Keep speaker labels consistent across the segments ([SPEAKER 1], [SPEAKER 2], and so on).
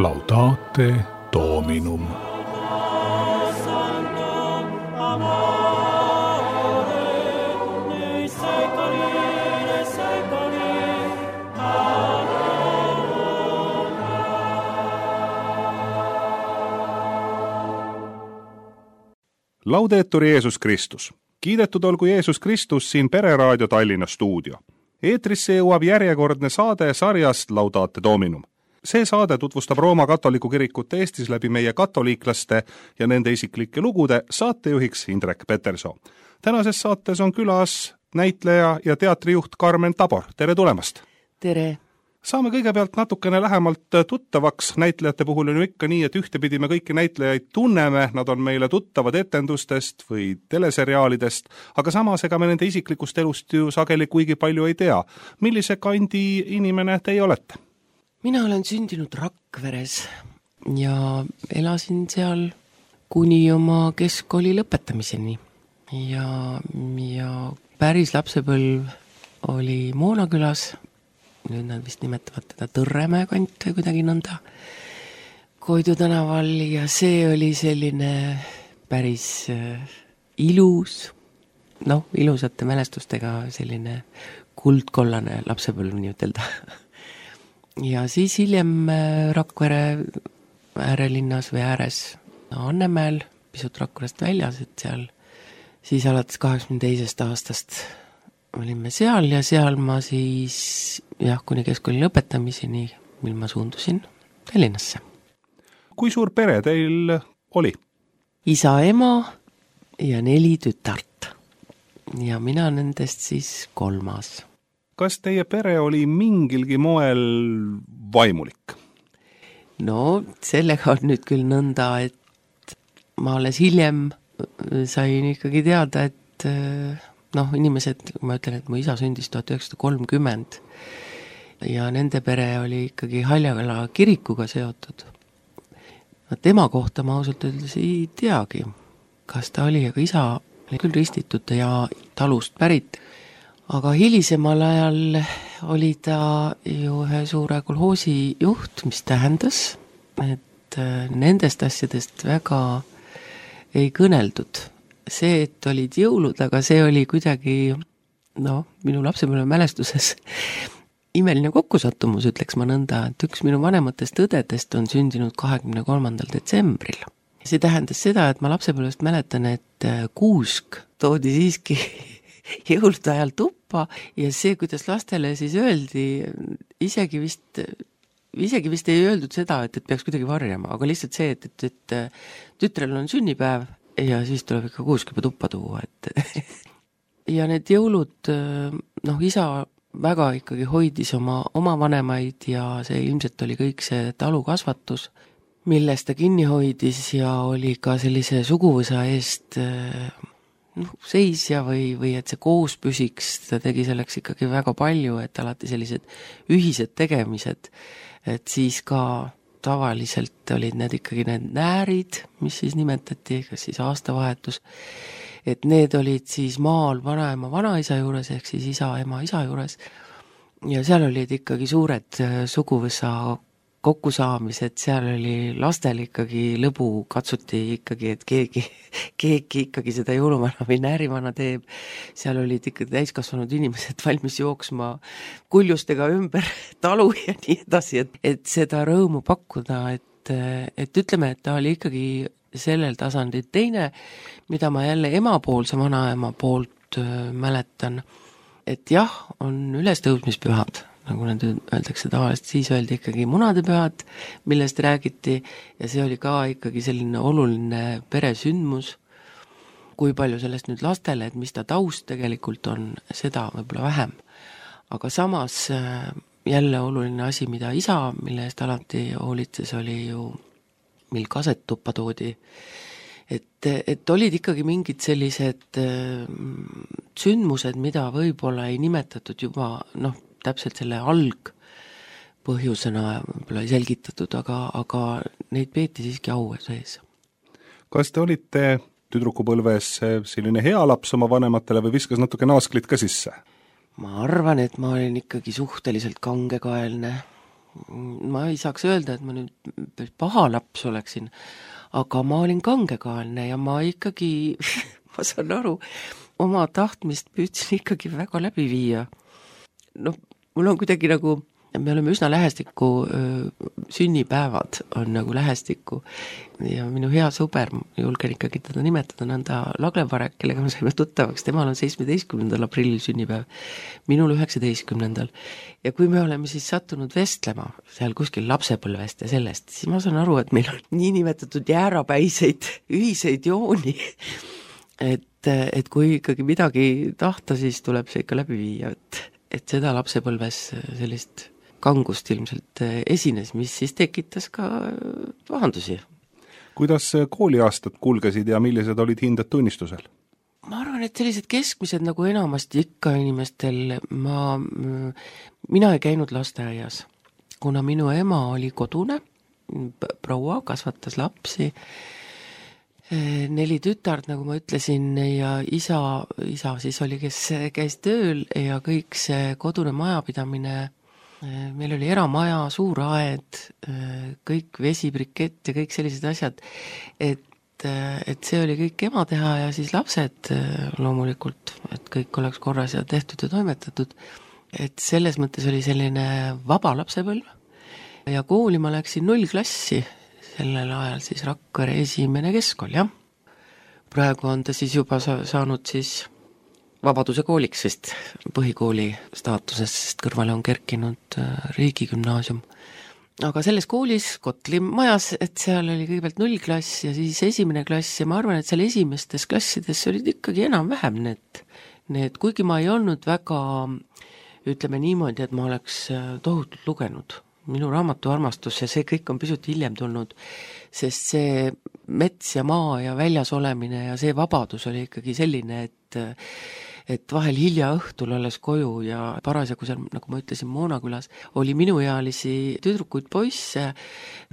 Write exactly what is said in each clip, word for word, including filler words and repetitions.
[SPEAKER 1] Laudate Dominum. Laudetur Jeesus Kristus. Kiidetud olgu Jeesus Kristus siin Pereraadio Tallinna stuudio. Eetrisse jõuab järjekordne saade sarjast Laudate Dominum. See saade tutvustab Rooma katoliku kirikut Eestis läbi meie katoliiklaste ja nende isiklike lugude, saatejuhiks Indrek Peterson. Tänases saates on külas näitleja ja teatrijuht Karmen Tabor. Tere tulemast!
[SPEAKER 2] Tere!
[SPEAKER 1] Saame kõigepealt natukene lähemalt tuttavaks. Näitlejate puhul on ju ikka nii, et ühtepidi me kõiki näitlejaid tunneme, nad on meile tuttavad etendustest või teleseriaalidest, aga samas ega me nende isiklikust elust ju sageli kuigi palju ei tea. Millise kandi inimene teie olete?
[SPEAKER 2] Mina olen sündinud Rakveres ja elasin seal kuni oma keskkooli lõpetamiseni. Ja, ja päris lapsepõlv oli Moonakülas. Nüüd nad vist nimetavad teda Tõrremäe kant või kuidagi nõnda Koidu tänaval ja see oli selline päris äh, ilus, noh, ilusate mälestustega selline kuldkollane lapsepõlv nii ütelda. Ja siis hiljem Rakvere äärelinnas või ääres Annemäel, pisut Rakverest väljas, et seal siis alates kaheksakümne teisest aastast olime seal ja seal ma siis jah, kuni keskkooli lõpetamiseni, mil ma suundusin Tallinnasse.
[SPEAKER 1] Kui suur pere teil oli?
[SPEAKER 2] Isa, ema ja neli tütart. Ja mina nendest siis kolmas.
[SPEAKER 1] Kas teie pere oli mingilgi moel vaimulik?
[SPEAKER 2] No, sellega on nüüd küll nõnda, et ma alles hiljem sain ikkagi teada, et noh, inimesed, ma ütlen, et mu isa sündis tuhat üheksasada kolmkümmend ja nende pere oli ikkagi Haljala kirikuga seotud. Tema kohta ma ausalt öeldes ei teagi, kas ta oli, aga isa oli küll ristitud ja talust pärit. Aga hilisemal ajal oli ta ju ühe suure kolhoosi juht, mis tähendas, et nendest asjadest väga ei kõneldud. See, et olid jõulud, aga see oli kuidagi, noh, minu lapsepõlve mälestuses imeline kokkusattumus, ütleks ma nõnda, et üks minu vanematest õdedest on sündinud kahekümne kolmandal detsembril. See tähendas seda, et ma lapsepõlvest mäletan, et kuusk toodi siiski jõulude ajal tuppa ja see, kuidas lastele siis öeldi, isegi vist, isegi vist ei öeldud seda, et, et peaks kuidagi varjama, aga lihtsalt see, et, et, et tütrel on sünnipäev, ja siis tuleb ikka kuusk juba tuppa tuua, et ja need jõulud, noh, isa väga ikkagi hoidis oma, oma vanemaid ja see ilmselt oli kõik see talukasvatus, millest ta kinni hoidis ja oli ka sellise suguvõsa eest noh, seisja või, või et see koos püsiks, ta tegi selleks ikkagi väga palju, et alati sellised ühised tegemised, et siis ka tavaliselt olid need ikkagi need näärid, mis siis nimetati, kas siis aastavahetus, et need olid siis maal vanaema vanaisa juures, ehk siis isa, ema, isa juures, ja seal olid ikkagi suured suguvõsa kokkusaamised, seal oli lastel ikkagi lõbu, katsuti ikkagi, et keegi, keegi ikkagi seda jõuluvana või näärimana teeb, seal olid ikkagi täiskasvanud inimesed valmis jooksma kuljustega ümber talu ja nii edasi, et, et seda rõõmu pakkuda, et, et ütleme, et ta oli ikkagi sellel tasandil teine, mida ma jälle emapoolse vanaema poolt mäletan, et jah, on ülestõusmispühad, nagu need öeldakse tavaliselt, siis öeldi ikkagi munadepühad, millest räägiti ja see oli ka ikkagi selline oluline peresündmus. Kui palju sellest nüüd lastele, et mis ta taust tegelikult on, seda võib-olla vähem. Aga samas jälle oluline asi, mida isa, mille eest alati hoolitses, oli ju, mil kaset tuppa toodi. Et, et olid ikkagi mingid sellised sündmused, mida võib-olla ei nimetatud juba, noh, täpselt selle alg põhjusena võib-olla ei selgitatud, aga, aga neid peeti siiski au sees.
[SPEAKER 1] Kas te olite tüdrukupõlves selline hea laps oma vanematele või viskas natuke naasklit ka sisse?
[SPEAKER 2] Ma arvan, et ma olin ikkagi suhteliselt kangekaelne ma ei saaks öelda, et ma nüüd paha laps oleksin, aga ma olin kangekaelne ja ma ikkagi, ma saan aru, oma tahtmist püüdsin ikkagi väga läbi viia. noh, mul on kuidagi nagu, me oleme üsna lähestikku, sünnipäevad on nagu lähestikku ja minu hea sõber, julgen ikkagi teda nimetada, nõnda Laglevarek, kellega me saime tuttavaks, temal on seitsmeteistkümnendal aprillil sünnipäev, minul üheksateistkümnendal. Ja kui me oleme siis sattunud vestlema seal kuskil lapsepõlvest ja sellest, siis ma saan aru, et meil on nii nimetatud jäärapäiseid ühiseid jooni, et, et kui ikkagi midagi tahta, siis tuleb see ikka läbi viia, et, et seda lapsepõlves sellist kangust ilmselt esines, mis siis tekitas ka pahandusi.
[SPEAKER 1] Kuidas kooliaastad kulgesid ja millised olid hinded tunnistusel?
[SPEAKER 2] Ma arvan, et sellised keskmised nagu enamasti ikka inimestel, ma, mina ei käinud lasteaias, kuna minu ema oli kodune, proua kasvatas lapsi, neli tütart, nagu ma ütlesin, ja isa, isa siis oli, kes käis tööl ja kõik see kodune majapidamine, meil oli eramaja, suur aed, kõik vesibrikett ja kõik sellised asjad, et, et see oli kõik ema teha ja siis lapsed loomulikult, et kõik oleks korras ja tehtud ja toimetatud, et selles mõttes oli selline vaba lapsepõlv ja kooli ma läksin nullklassi, sellel ajal siis Rakvere esimene keskkool, jah. Praegu on ta siis juba sa- saanud siis Vabaduse kooliks vist põhikooli staatusest, sest kõrvale on kerkinud riigigümnaasium. Aga selles koolis, Kotli majas, et seal oli kõigepealt nullklass ja siis esimene klass ja ma arvan, et seal esimestes klassides olid ikkagi enam-vähem need, need, kuigi ma ei olnud väga, ütleme niimoodi, et ma oleks tohutult lugenud. Minu raamatu armastus ja see kõik on pisut hiljem tulnud, sest see mets ja maa ja väljas olemine ja see vabadus oli ikkagi selline, et et vahel hilja õhtul alles koju ja parasjagu seal, nagu ma ütlesin, Moonakülas oli minuealisi tüdrukuid poisse,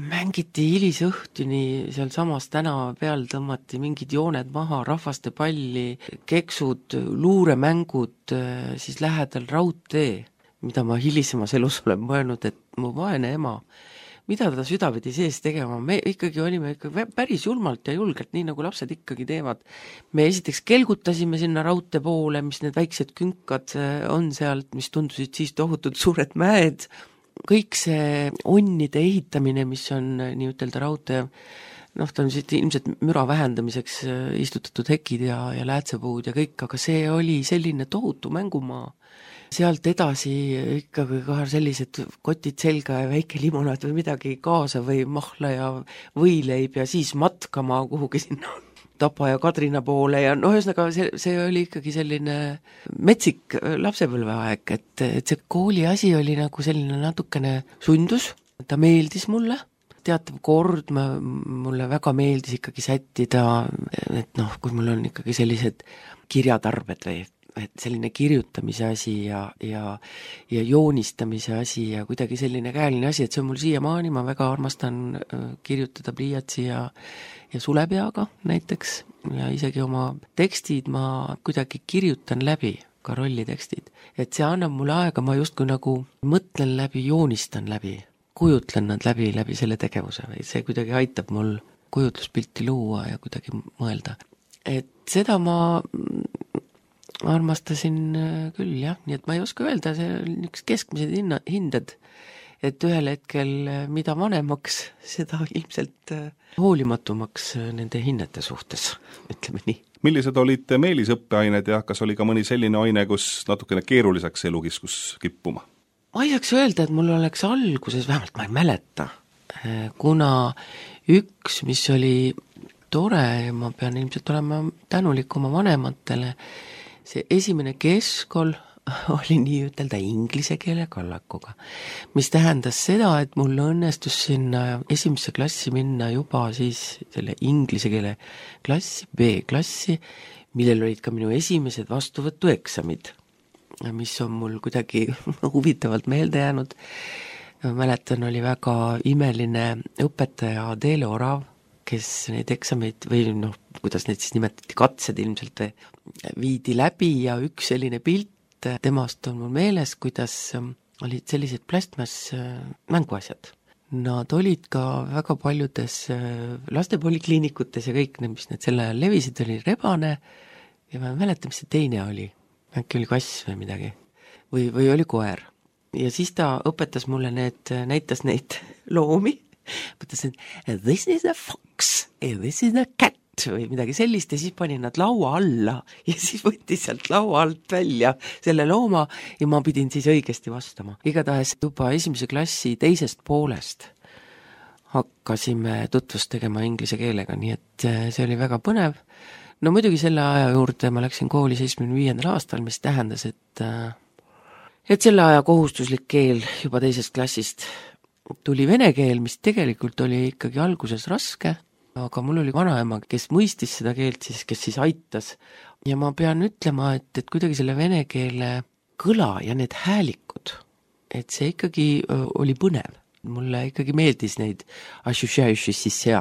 [SPEAKER 2] mängiti hilisõhtuni seal samas tänava peal, tõmmati mingid jooned maha, rahvaste palli, keksud, luuremängud, siis lähedal raudtee, mida ma hilisemas elus olen mõelnud, et mu vaene ema, mida ta südavedi sees tegema, me ikkagi olime ikkagi päris julmalt ja julgelt, nii nagu lapsed ikkagi teevad. Me esiteks kelgutasime sinna raudtee poole, mis need väiksed künkad on sealt, mis tundusid siis tohutud suured mäed, kõik see onnide ehitamine, mis on nii ütelda raudtee, noh, ta on siit ilmselt müra vähendamiseks istutatud hekid ja, ja läätsepuud ja kõik, aga see oli selline tohutu mängumaa. Sealt edasi ikkagi ka sellised kotid selga ja väike limonaad või midagi kaasa või mahla ja võileib ja siis matkama kuhugi sinna Tapa ja Kadrina poole ja noh, ühesõnaga see, see oli ikkagi selline metsik lapsepõlveaeg, et, et see kooli asi oli nagu selline natukene sundus, ta meeldis mulle, teatav kord ma, mulle väga meeldis ikkagi sättida, et noh, kui mul on ikkagi sellised kirjatarbed või et selline kirjutamise asi ja, ja, ja joonistamise asi ja kuidagi selline käeline asi, et see on mul siiamaani, ma väga armastan kirjutada pliiatsi ja, ja sulepeaga näiteks ja isegi oma tekstid ma kuidagi kirjutan läbi, ka rollitekstid. Et see annab mulle aega, ma justkui nagu mõtlen läbi, joonistan läbi, kujutlen nad läbi, läbi selle tegevuse või see kuidagi aitab mul kujutluspilti luua ja kuidagi mõelda. Et seda ma armastasin küll, jah, nii et ma ei oska öelda, see on üks keskmised hinna, hinded, et ühel hetkel mida vanemaks, seda ilmselt hoolimatumaks nende hinnete suhtes, ütleme nii.
[SPEAKER 1] Millised olid meelisõppeained ja kas oli ka mõni selline aine, kus natukene keeruliseks elu kiskus kippuma?
[SPEAKER 2] Ma ei saaks öelda, et mul oleks alguses, vähemalt ma ei mäleta, kuna üks, mis oli tore ja ma pean ilmselt olema tänulik oma vanematele, see esimene keskkool oli nii ütelda inglise keele kallakuga, mis tähendas seda, et mul õnnestus sinna esimesse klassi minna juba siis selle inglise keele klassi, B-klassi, millel olid ka minu esimesed vastuvõtueksamid, mis on mul kuidagi huvitavalt meelde jäänud. Ma mäletan, oli väga imeline õpetaja Teele Orav, kes neid eksameid või noh, kuidas neid siis nimetati, katsed ilmselt viidi läbi ja üks selline pilt temast on mul meeles, kuidas olid sellised plastmass mänguasjad. Nad olid ka väga paljudes lastepolikliinikutes ja kõik, mis need selle ajal levisid, oli rebane ja ma ei mäleta, mis see teine oli. Äkki oli kass või midagi. Või, või oli koer. Ja siis ta õpetas mulle need, näitas neid loomi. Mõtlesin, this is a fox, this is a cat või midagi sellist ja siis pani nad laua alla ja siis võttis sealt laua alt välja selle looma ja ma pidin siis õigesti vastama. Igatahes juba esimese klassi teisest poolest hakkasime tutvust tegema inglise keelega, nii et see oli väga põnev. No muidugi selle aja juurde ma läksin kooli seitsmekümne viiendal aastal, mis tähendas, et, et selle aja kohustuslik keel juba teisest klassist tuli vene keel, mis tegelikult oli ikkagi alguses raske, aga mul oli vanaema, kes mõistis seda keelt siis, kes siis aitas. Ja ma pean ütlema, et, et kuidagi selle vene keele kõla ja need häälikud, et see ikkagi oli põnev. Mulle ikkagi meeldis neid ja,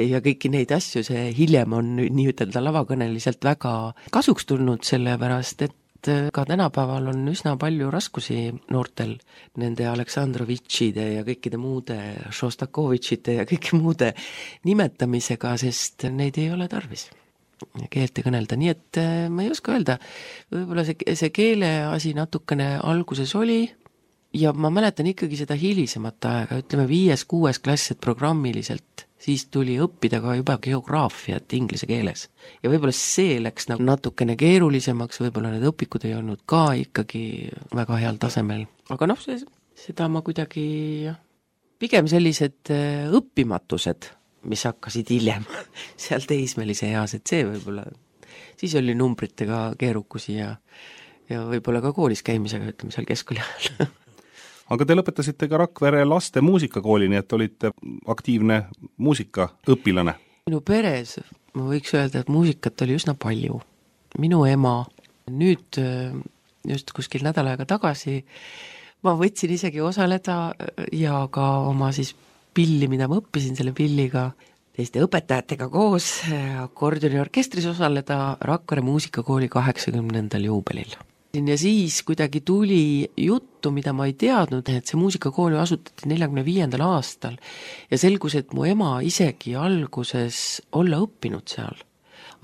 [SPEAKER 2] ja kõiki neid asju, see hiljem on nii ütelda lavakõneliselt väga kasuks tulnud, sellepärast, et ka tänapäeval on üsna palju raskusi noortel nende Aleksandrovitšide ja kõikide muude Šostakovitšide ja kõiki muude nimetamisega, sest neid ei ole tarvis keelte kõnelda, nii et ma ei oska öelda, võib-olla see, see keele asi natukene alguses oli ja ma mäletan ikkagi seda hilisemat aega, ütleme viies, kuues klass, et programmiliselt siis tuli õppida ka juba geograafiat inglise keeles. Ja võib-olla see läks nagu natukene keerulisemaks, võib-olla need õpikud ei olnud ka ikkagi väga heal tasemel. Aga noh, see, seda ma kuidagi, pigem sellised õppimatused, mis hakkasid hiljem seal teismelise eas, et see võib-olla, siis oli numbritega keerukusi ja, ja võib-olla ka koolis käimisega, ütleme seal keskkooli ajal.
[SPEAKER 1] Aga te lõpetasite ka Rakvere laste muusikakooli, nii et olite aktiivne muusikaõpilane.
[SPEAKER 2] Minu peres, ma võiks öelda, et muusikat oli üsna palju. Minu ema, nüüd just kuskil nädal aega tagasi, ma võtsin isegi osaleda ja ka oma siis pilli, mida ma õppisin selle pilliga, teiste õpetajatega koos akordioni orkestris osaleda Rakvere muusikakooli kaheksakümnendal juubelil. Ja siis kuidagi tuli juttu, mida ma ei teadnud, et see muusikakooli asutati neljakümne viiendal aastal ja selgus, et mu ema isegi alguses olla õppinud seal.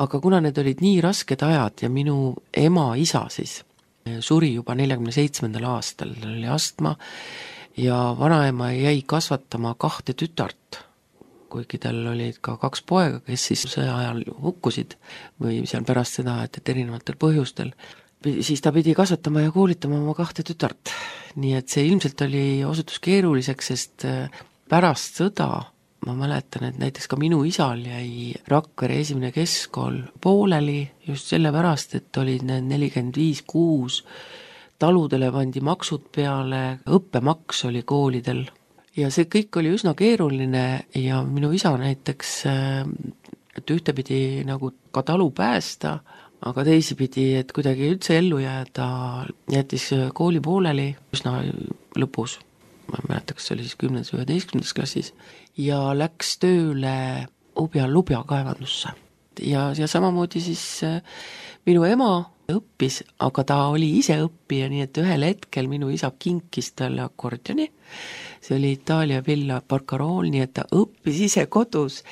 [SPEAKER 2] Aga kuna need olid nii rasked ajad ja minu ema isa siis suri juba neljakümne seitsmendal aastal, oli astma ja vanaema jäi kasvatama kahte tütart, kuigi tal olid ka kaks poega, kes siis sõja ajal hukkusid või seal pärast seda, et, et erinevatel põhjustel. Siis ta pidi kasvatama ja koolitama oma kahte tütart. Nii et see ilmselt oli osutus keeruliseks, sest pärast sõda ma mäletan, et näiteks ka minu isal jäi Rakvere esimene keskkool pooleli just selle pärast, et olid need nelikümmend viis kuus, taludele pandi maksud peale, õppemaks oli koolidel ja see kõik oli üsna keeruline ja minu isa näiteks, et ühtepidi nagu ka talu päästa, aga teisipidi, et kuidagi üldse ellu jääda, jättis kooli pooleli üsna lõpus, ma ei mäleta, kas see oli siis kümnendas või üheteistkümnendas klassis, ja läks tööle Ubja Lubja kaevandusse. Ja, ja samamoodi siis minu ema õppis, aga ta oli ise õppija, nii et ühel hetkel minu isa kinkis talle akordioni, see oli Itaalia Villa Barcarool, nii et ta õppis ise kodus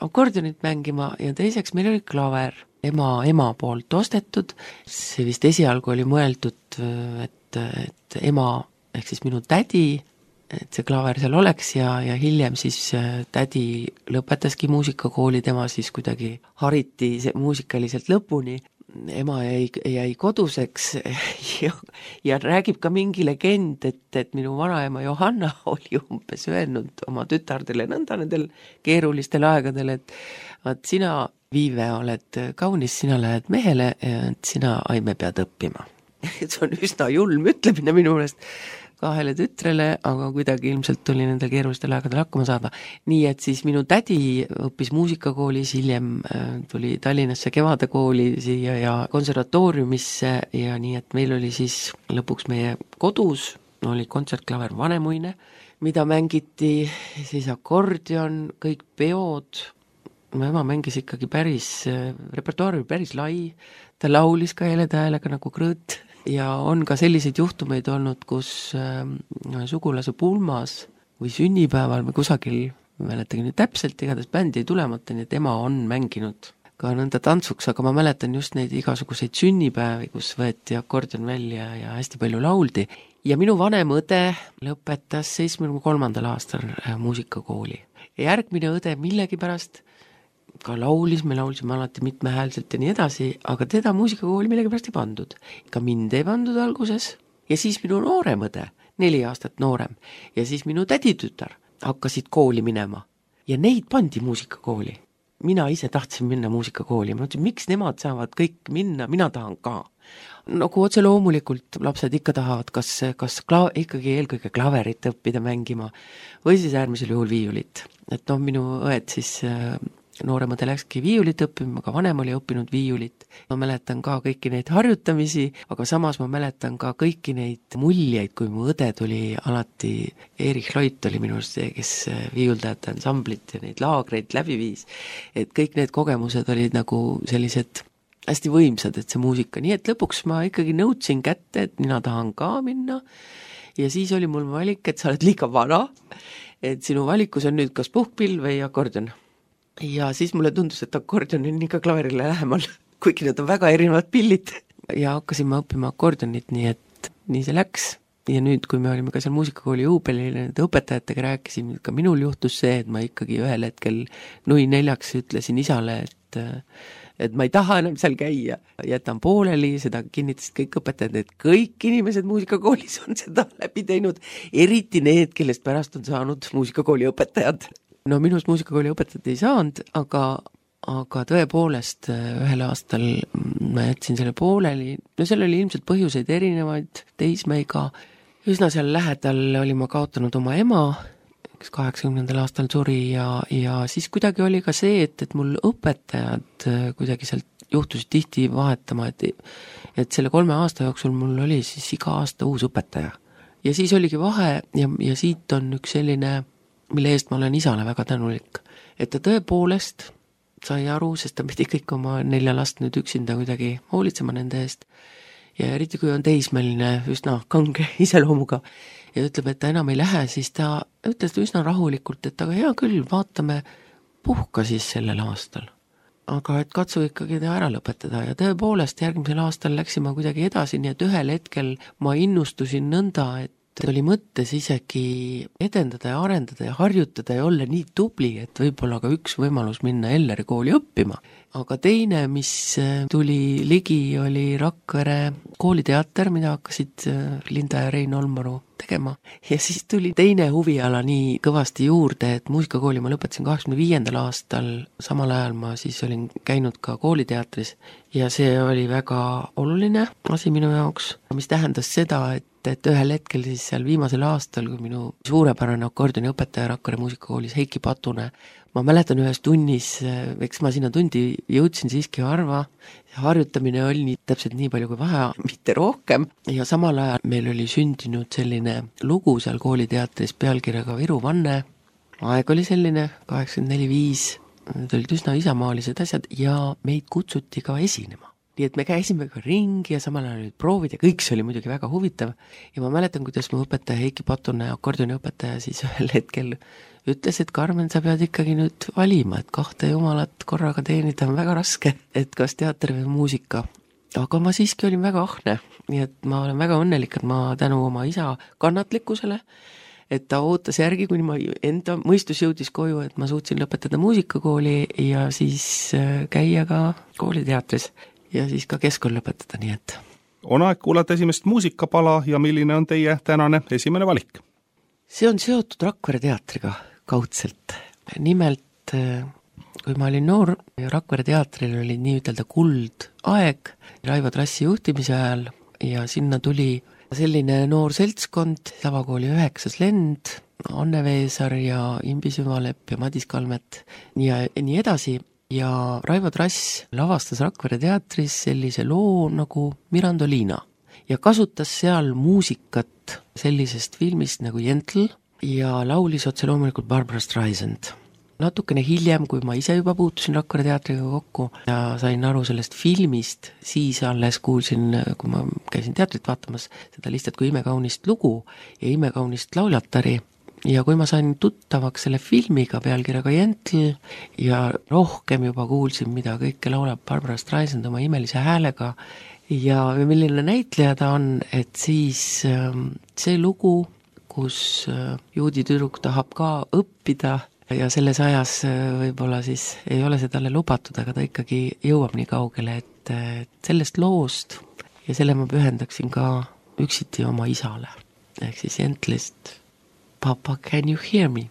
[SPEAKER 2] akordionit mängima ja teiseks meil oli klaver. Ema, ema poolt ostetud, see vist esialgu oli mõeldud, et, et ema, ehk siis minu tädi, et see klaver seal oleks ja, ja hiljem siis tädi lõpetaski muusikakooli, tema siis kuidagi hariti muusikaliselt lõpuni. Ema jäi, jäi koduseks ja, ja räägib ka mingi legend, et, et minu vanaema Johanna oli umbes öelnud oma tütardele nõnda nendel keerulistel aegadel, et vaat sina, Viive, oled kaunis, sina lähed mehele, et sina, Aime, pead õppima. See on üsna julm ütlemine minu meelest kahele tütrele, aga kuidagi ilmselt tuli nendel keerulistel aegadel hakkama saada. Nii et siis minu tädi õppis muusikakoolis, hiljem tuli Tallinnasse Kevadekooli siia ja konservatooriumisse ja nii, et meil oli siis lõpuks meie kodus, oli kontsertklaver Vanemuine, mida mängiti, siis akordion, kõik peod. Mu ema mängis ikkagi päris, repertuaar oli päris lai, ta laulis ka heleda häälega nagu krõõt, ja on ka selliseid juhtumeid olnud, kus äh, sugulase pulmas või sünnipäeval või kusagil, ma mäletagi nüüd täpselt, igatahes bändi ei tulemata, nii et ema on mänginud ka nõnda tantsuks, aga ma mäletan just neid igasuguseid sünnipäevi, kus võeti akordion välja ja hästi palju lauldi. Ja minu vanem õde lõpetas seitsmekümne kolmandal aastal muusikakooli. Ja järgmine õde millegipärast ka laulis, me laulsime alati mitmehäälselt ja nii edasi, aga teda muusikakooli millegipärast ei pandud. Ka mind ei pandud alguses. Ja siis minu noorem õde, neli aastat noorem, ja siis minu täditütar hakkasid kooli minema. Ja neid pandi muusikakooli. Mina ise tahtsin minna muusikakooli, ma mõtlesin, miks nemad saavad kõik minna, mina tahan ka. Nagu otse loomulikult lapsed ikka tahavad, kas, kas kla- ikkagi eelkõige klaverit õppida mängima või siis äärmisel juhul viiulit. Et no minu õed siis nooremad läkski viiulit õppima, aga vanem oli õppinud viiulit. Ma mäletan ka kõiki neid harjutamisi, aga samas ma mäletan ka kõiki neid muljeid, kui mu õde tuli alati, Erich Loit oli minu see, kes viiuldajate ansamblit ja neid laagreid läbi viis. Et kõik need kogemused olid nagu sellised hästi võimsad, et see muusika. Nii et lõpuks ma ikkagi nõudsin kätte, et mina tahan ka minna ja siis oli mul valik, et sa oled liiga vana, et sinu valikus on nüüd kas puhkpill või akordion. Ja siis mulle tundus, et akordion on ikka klaverile lähemal, kuigi need on väga erinevad pillid. Ja hakkasin ma õppima akordionit, nii et nii see läks. Ja nüüd, kui me olime ka seal muusikakooli juubelil, need õpetajatega rääkisime, ka minul juhtus see, et ma ikkagi ühel hetkel nui neljaks ütlesin isale, et, et ma ei taha enam seal käia. Jätan pooleli, seda kinnitasid kõik õpetajad, et kõik inimesed muusikakoolis on seda läbi teinud, eriti need, kellest pärast on saanud muusikakooli õpetajad. No minust muusikakooli õpetajat ei saanud, aga, aga tõepoolest ühel aastal ma jätsin selle pooleli. No seal oli ilmselt põhjuseid erinevaid, teismeiga. Üsna seal lähedal oli ma kaotanud oma ema, kes kaheksakümnendal aastal suri ja, ja siis kuidagi oli ka see, et, et mul õpetajad kuidagi sealt juhtusid tihti vahetama, et, et selle kolme aasta jooksul mul oli siis iga aasta uus õpetaja. Ja siis oligi vahe ja, ja siit on üks selline, mille eest ma olen isale väga tänulik, et ta tõepoolest sai aru, sest ta pidi kõik oma nelja last nüüd üksinda kuidagi hoolitsema nende eest ja eriti kui on teismeline üsna kange iseloomuga ja ütleb, et ta enam ei lähe, siis ta ütles üsna rahulikult, et aga hea küll, vaatame, puhka siis sellel aastal. Aga et katsu ikkagi ta ära lõpetada ja tõepoolest järgmisel aastal läksime kuidagi edasi, nii et ühel hetkel ma innustusin nõnda, et oli mõttes isegi edendada ja arendada ja harjutada ja olla nii tubli, et võib-olla ka üks võimalus minna Elleri kooli õppima. Aga teine, mis tuli ligi, oli Rakvere kooliteater, mida hakkasid Linda ja Rein Olmaru tegema. Ja siis tuli teine huviala nii kõvasti juurde, et muusikakooli ma lõpetasin kaheksakümne viiendal aastal, samal ajal ma siis olin käinud ka kooliteatris ja see oli väga oluline asi minu jaoks, mis tähendas seda, et et ühel hetkel siis seal viimasel aastal, kui minu suurepärane akordioni õpetaja Rakvere muusikakoolis Heiki Patune, ma mäletan ühes tunnis, eks ma sinna tundi jõudsin siiski harva, harjutamine oli nii, täpselt nii palju kui vaja, mitte rohkem, ja samal ajal meil oli sündinud selline lugu seal kooliteatris pealkirjaga Viru vanne, aeg oli selline, kaheksakümmend neli viis, need olid üsna isamaalised asjad ja meid kutsuti ka esinema. Nii et me käisime ka ringi ja samal ajal olid proovid ja kõik see oli muidugi väga huvitav. Ja ma mäletan, kuidas mu õpetaja Heiki Patune, akordioni õpetaja, siis ühel hetkel ütles, et Karmen, sa pead ikkagi nüüd valima, et kahte jumalat korraga teenida on väga raske, et kas teater või muusika. Aga ma siiski olin väga ahne, nii et ma olen väga õnnelik, et ma tänu oma isa kannatlikkusele, et ta ootas järgi, kuni ma enda mõistus jõudis koju, et ma suutsin lõpetada muusikakooli ja siis käia ka kooliteatris. Ja siis ka keskkool lõpetada, nii et.
[SPEAKER 1] On aeg kuulata esimest muusikapala ja milline on teie tänane esimene valik?
[SPEAKER 2] See on seotud Rakvere teatriga kaudselt. Nimelt, kui ma olin noor, Rakvere teatril oli nii ütelda kuld aeg Raivo Trassi juhtimise ajal ja sinna tuli selline noor seltskond, Lavakooli üheksas lend, Anne Veesar ja Imbi Süvalepp ja Madis Kalmet ja nii edasi. Ja Raivo Trass lavastas Rakvere teatris sellise loo nagu Mirandoliina ja kasutas seal muusikat sellisest filmist nagu Jentl ja laulis otse loomulikult Barbara Streisand. natukene hiljem, kui ma ise juba puutusin Rakvere teatriga kokku ja sain aru sellest filmist, siis alles kuulsin, kui ma käisin teatrit vaatamas, seda lihtsalt kui imekaunist lugu ja imekaunist lauljatari. Ja kui ma sain tuttavaks selle filmiga pealkirjaga Jentl ja rohkem juba kuulsin, mida kõike laulab Barbara Streisand oma imelise häälega ja milline näitleja ta on, et siis see lugu, kus juudi tüdruk tahab ka õppida ja selles ajas võib-olla siis ei ole see talle lubatud, aga ta ikkagi jõuab nii kaugele, et sellest loost ja selle ma pühendaksin ka üksiti oma isale. Ehk siis Jentlist Papa, can you hear me?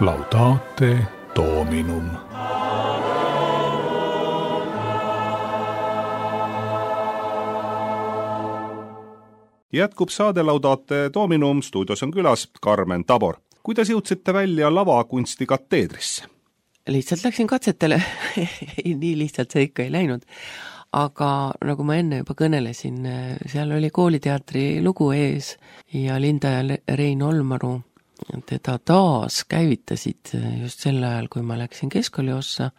[SPEAKER 1] Laudate Dominum. Jätkub saade Laudate Dominum, stuudios on külas Karmen Tabor. Kuidas jõudsite välja lavakunsti kateedrisse?
[SPEAKER 2] Lihtsalt läksin katsetele, nii lihtsalt see ikka ei läinud. Aga nagu ma enne juba kõnelesin, seal oli kooliteatri lugu ees ja Linda ja Rein Olmaru teda taas käivitasid just sel ajal, kui ma läksin keskkooli ossa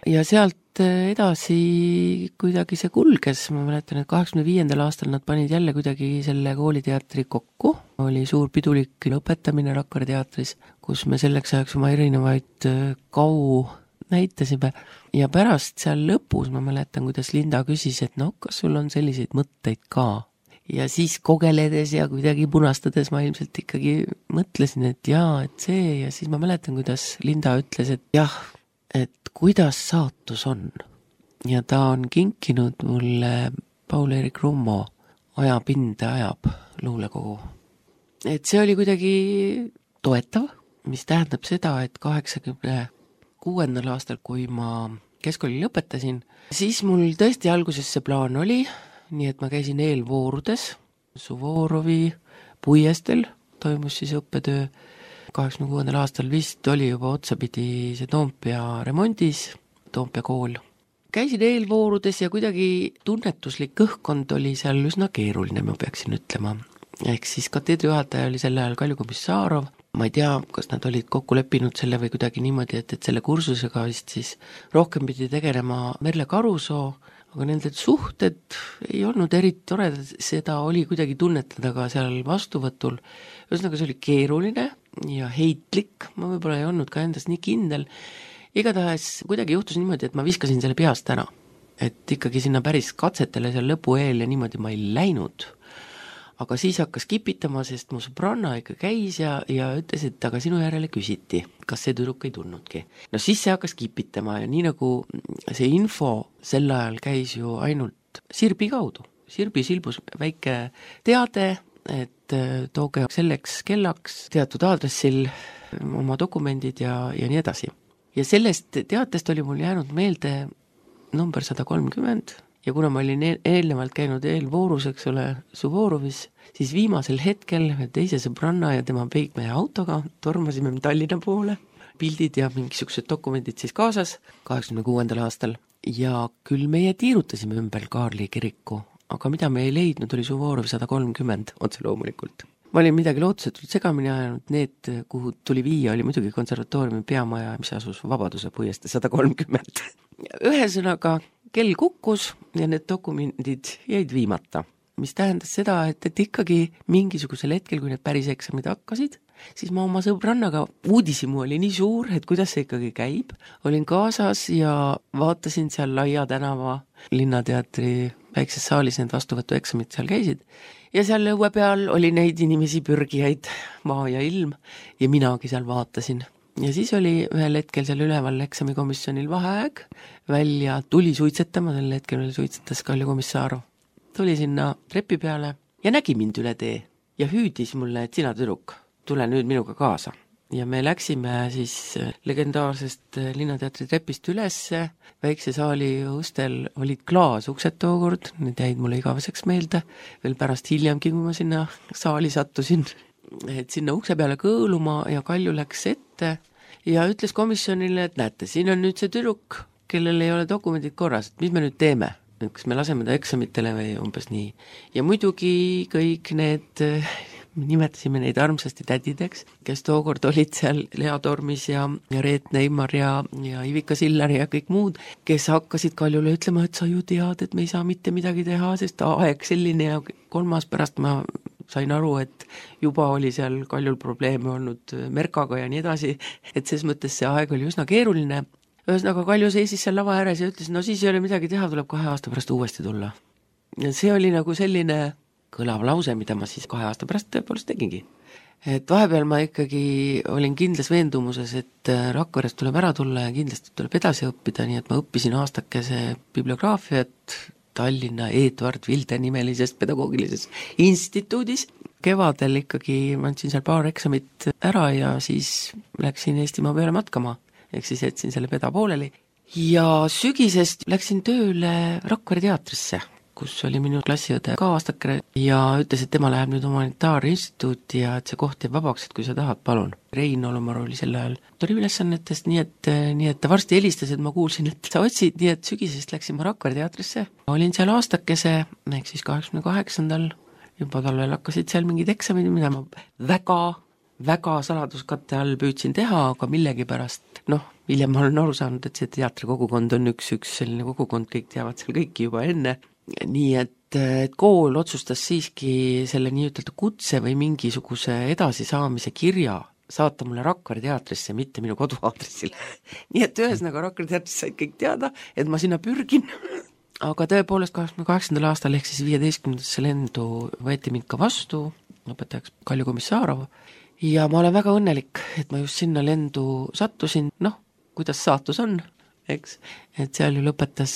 [SPEAKER 2] ja sealt edasi kuidagi see kulges, ma mäletan, et kaheksakümne viiendal aastal nad panid jälle kuidagi selle kooliteatri kokku, oli suur pidulik lõpetamine Rakvere teatris, kus me selleks ajaks oma erinevaid kau näitasime ja pärast seal lõpus ma mäletan, kuidas Linda küsis, et no kas sul on selliseid mõtteid ka? Ja siis kogeledes ja kuidagi punastades ma ilmselt ikkagi mõtlesin, et jaa, et see ja siis ma mäletan, kuidas Linda ütles, et jah, et kuidas saatus on. Ja ta on kinkinud mulle Paul-Eerik Rummo Ajapinde ajab luulekogu. Et see oli kuidagi toetav, mis tähendab seda, et kaheksakümne kuuendal aastal, kui ma keskkooli lõpetasin, siis mul tõesti alguses see plaan oli, nii et ma käisin eelvoorudes, Suvorovi puiestel toimus siis õppetöö, kaheksakümne kuuendal aastal vist oli juba otsapidi see Toompea remondis, Toompea kool. Käisin eelvoorudes ja kuidagi tunnetuslik õhkkond oli seal üsna keeruline, ma peaksin ütlema. Ehk siis kateedri juhataja oli sel ajal Kalju Komissarov, ma ei tea, kas nad olid kokku leppinud selle või kuidagi niimoodi, et, et selle kursusega vist siis rohkem pidi tegelema Merle Karusoo, aga nende suhted ei olnud eriti toredad, seda oli kuidagi tunnetada ka seal vastuvõtul. Ühesõnaga see oli keeruline ja heitlik, ma võib-olla ei olnud ka endas nii kindel. Igatahes kuidagi juhtus niimoodi, et ma viskasin selle peast ära. Et ikkagi sinna päris katsetele seal lõpu eel ja niimoodi ma ei läinud. Aga siis hakkas kipitama, sest mu sõbranna ikka käis ja, ja ütles, et aga sinu järele küsiti, kas see tüdruk ei tulnudki. No siis see hakkas kipitama ja nii nagu see info sel ajal käis ju ainult Sirbi kaudu. Sirbi silbus väike teade, et tooge selleks kellaks teatud aadressil oma dokumendid ja, ja nii edasi. Ja sellest teatest oli mul jäänud meelde number sada kolmkümmend, ja kuna ma olin eelnevalt käinud eelvoorus, eks ole, Suvorovis, siis viimasel hetkel teise sõbranna ja tema peigmehe autoga tormasime Tallinna poole, pildid ja mingisugused dokumendid siis kaasas kaheksakümne kuuendal aastal. Ja küll meie tiirutasime ümber Kaarli kiriku, aga mida me ei leidnud, oli Suvorovi sada kolmkümmend, otse loomulikult. Ma olin midagi lootusetult segamini ajanud, need, kuhu tuli viia, oli muidugi konservatooriumi peamaja, mis asus Vabaduse puiestee sada kolmkümmend. Ühesõnaga, kell kukkus ja need dokumendid jäid viimata, mis tähendas seda, et, et ikkagi mingisugusel hetkel, kui need päris eksamid hakkasid, siis ma oma sõbrannaga, uudishimu oli nii suur, et kuidas see ikkagi käib, olin kaasas ja vaatasin seal Laia tänava Linnateatri väikses saalis, need vastuvõtueksamid seal käisid ja seal õue peal oli neid inimesi pürgijaid, maa ja ilm ja minagi seal vaatasin. Ja siis oli ühel hetkel seal üleval eksamikomisjonil vaheaeg, välja tuli suitsetama, sel hetkel veel suitsetas Kalju Komissarov. Tuli sinna trepi peale ja nägi mind üle tee ja hüüdis mulle, et sina tüdruk, tule nüüd minuga kaasa. Ja me läksime siis legendaarsest Linnateatri trepist ülesse, väikse saali ustel olid klaasuksed tookord, need jäid mulle igaveseks meelde, veel pärast hiljemgi, kui ma sinna saali sattusin. Et sinna ukse peale kõõluma ja Kalju läks ette ja ütles komisjonile, et näete, siin on nüüd see tüdruk, kellel ei ole dokumendid korras, et mis me nüüd teeme, et kas me laseme ta eksamitele või umbes nii. Ja muidugi kõik need, nimetasime neid armsasti tädideks, kes tookord olid seal Lea Tormis ja, ja Reet Neimar ja, ja Ivika Sillar ja kõik muud, kes hakkasid Kaljule ütlema, et sa ju tead, et me ei saa mitte midagi teha, sest aeg selline ja kolmas pärast ma sain aru, et juba oli seal Kaljul probleeme olnud Merkaga ja nii edasi, et ses mõttes see aeg oli üsna keeruline. Ühesõnaga Kalju seisis seal lava ääres ja ütles, no siis ei ole midagi teha, tuleb kahe aasta pärast uuesti tulla. Ja see oli nagu selline kõlav lause, mida ma siis kahe aasta pärast tõepoolest tegingi. Et vahepeal ma ikkagi olin kindlas veendumuses, et Rakverest tuleb ära tulla ja kindlasti tuleb edasi õppida, nii et ma õppisin aastakese bibliograafiat Tallinna Edward Vilde nimelisest pedagoogilises instituudis. Kevadel ikkagi ma andsin seal paar eksamit ära ja siis läksin Eestimaa peale matkama, ehk siis jätsin selle peda pooleli. Ja sügisest läksin tööle Rakvere teatrisse, kus oli minu klassiõde ka aastakene ja ütles, et tema läheb nüüd humanitaarinstituuti ja et see koht jääb vabaks, et kui sa tahad, palun. Rein Olumar oli sel ajal tuli ülesannetest, nii et, nii et ta varsti helistas, et ma kuulsin, et sa otsid, nii et sügisest läksin ma Rakvere teatrisse. Olin seal aastakese, ehk siis kaheksakümne kaheksandal, juba talvel hakkasid seal mingid eksamid, mida ma väga väga saladuskatte all püüdsin teha, aga millegipärast, noh, hiljem ma olen aru saanud, et see teatrikogukond on üks, üks selline kogukond, kõik teavad seal kõiki juba enne, nii et, et kool otsustas siiski selle nii-ütelda kutse või mingisuguse edasisaamise kirja saata mulle Rakvere teatrisse, mitte minu koduaadressile. nii et ühesõnaga Rakvere teatrisse said kõik teada, et ma sinna pürgin. aga tõepoolest kaheksakümne kaheksandal aastal ehk siis viieteistkümnendasse lendu võeti mind ka vastu, õpetajaks Kalju Komissarov, ja ma olen väga õnnelik, et ma just sinna lendu sattusin, noh, kuidas saatus on, eks, et seal ju lõpetas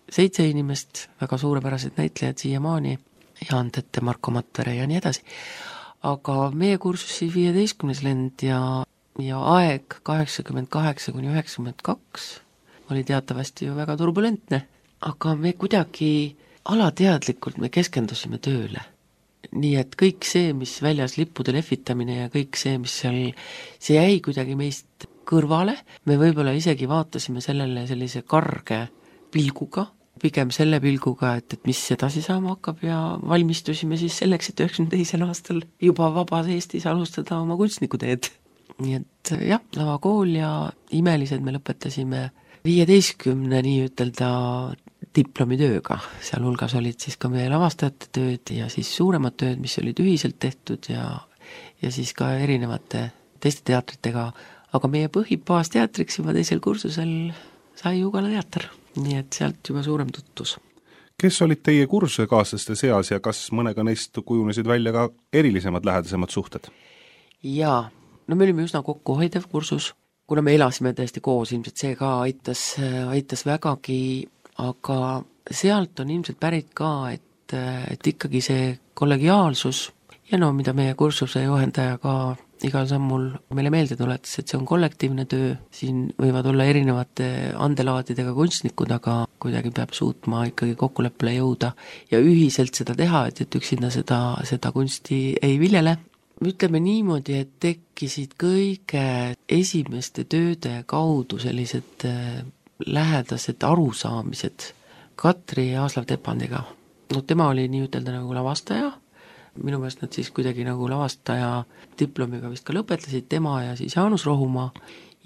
[SPEAKER 2] seitse inimest, väga suurepärased näitlejad siiamaani, Jaan Tette, Marko Matvere ja nii edasi. aga meie kursus siis viieteistkümnes lend ja, ja aeg kaheksakümmend kaheksa kuni üheksakümmend kaks oli teatavasti ju väga turbulentne, aga me kuidagi alateadlikult me keskendusime tööle. Nii et kõik see, mis väljas lippude lehvitamine ja kõik see, mis seal, see jäi kuidagi meist kõrvale, me võib-olla isegi vaatasime sellele sellise karge pilguga, pigem selle pilguga, et, et mis edasi saama hakkab ja valmistusime siis selleks, et üheksakümne teisel aastal juba vabas Eestis alustada oma kunstnikuteed. Nii et jah, lavakool ja imelised me lõpetasime viieteistkümne nii ütelda diplomitööga, seal hulgas olid siis ka meie lavastajate tööd ja siis suuremad tööd, mis olid ühiselt tehtud ja, ja siis ka erinevate teiste teatritega, aga meie põhipaasteatriks juba teisel kursusel sai Ugala teater, nii et sealt juba suurem tutvus.
[SPEAKER 1] Kes olid teie kursusekaaslaste seas ja kas mõnega neist kujunesid välja ka erilisemad lähedasemad suhted?
[SPEAKER 2] Jaa, no me olime üsna kokkuhoidev kursus, kuna me elasime tõesti koos, ilmselt see ka aitas, aitas vägagi, aga sealt on ilmselt pärit ka, et, et ikkagi see kollegiaalsus ja no mida meie kursuse juhendaja ka igal sammul meile meelde tuletas, et see on kollektiivne töö, siin võivad olla erinevate andelaadidega kunstnikud, aga kuidagi peab suutma ikkagi kokkuleppele jõuda ja ühiselt seda teha, et, et üksinda seda, seda kunsti ei viljele. Ütleme niimoodi, et tekkisid kõige esimeste tööde kaudu sellised lähedased arusaamised Katri Aaslav-Tepandiga. No tema oli nii ütelda nagu lavastaja, minu meelest nad siis kuidagi nagu lavastaja diplomiga vist ka lõpetasid, tema ja siis Jaanus Rohumaa.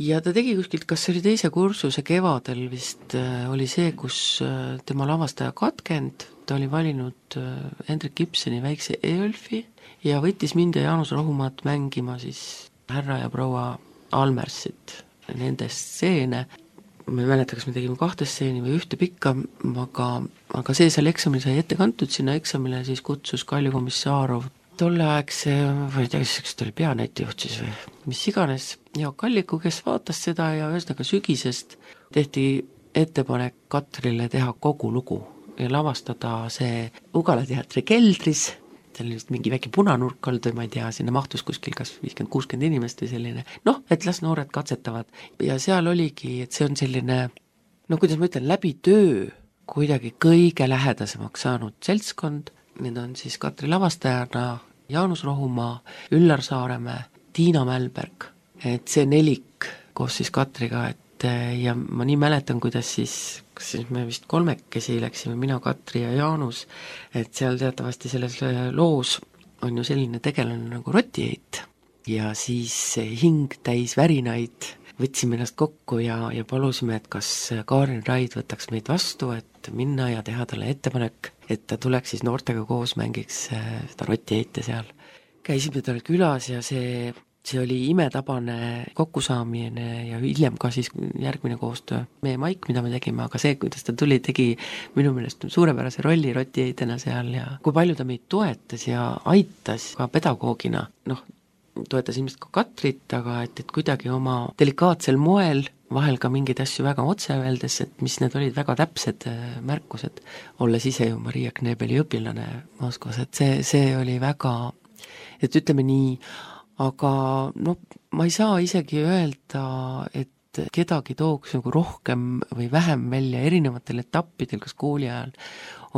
[SPEAKER 2] Ja ta tegi kuskilt, kas see oli teise kursuse kevadel vist, oli see, kus tema lavastaja katkend, ta oli valinud Hendrik Gibsoni väikse Eölfi ja võttis mind ja Jaanus Rohumaad mängima siis härra ja proua Almersit, nende stseene. Ma ei mäleta, kas me tegime kahte stseeni või ühte pikka, aga, aga see seal eksamil sai ette kantud, sinna eksamile siis kutsus Kalju Komissarov tolleaegse, või ei tea, kas ta oli peanäitejuht siis või mis iganes, Jaak Alliku, kes vaatas seda ja ühesõnaga sügisest tehti ettepanek Katrile teha kogu lugu ja lavastada see Ugala teatri keldris, seal oli vist mingi väike punanurk olnud või ma ei tea, sinna mahtus kuskil kas viiskümmend kuuskümmend inimest või selline, noh, et las noored katsetavad ja seal oligi, et see on selline, no kuidas ma ütlen, läbi töö kuidagi kõige lähedasemaks saanud seltskond, need on siis Katri lavastajana Jaanus Rohumaa, Üllar Saaremäe, Tiina Mälberg, et see nelik koos siis Katriga, et ja ma nii mäletan, kuidas siis, kas siis me vist kolmekesi läksime, mina, Katri ja Jaanus, et seal teatavasti selles loos on ju selline tegelane nagu rotiheit ja siis hing täis värinaid, võtsime ennast kokku ja, ja palusime, et kas Kaarin Raid võtaks meid vastu, et minna ja teha talle ettepanek, et ta tuleks siis noortega koos, mängiks seda rotiheite seal. Käisime tal külas ja see see oli imetabane kokkusaamine ja hiljem ka siis järgmine koostöö. Meie Maik, mida me tegime, aga see, kuidas ta tuli, tegi minu meelest suurepärase rolli rotiheitena seal ja kui palju ta meid toetas ja aitas ka pedagoogina, noh, toetas ilmselt ka Katrit, aga et, et kuidagi oma delikaatsel moel, vahel ka mingeid asju väga otse öeldes, et mis need olid väga täpsed märkused, olles ise ju Maria Knebeli õpilane Moskvas, et see, see oli väga, et ütleme nii, aga noh, ma ei saa isegi öelda, et kedagi tooks nagu rohkem või vähem välja erinevatel etappidel, kas kooli ajal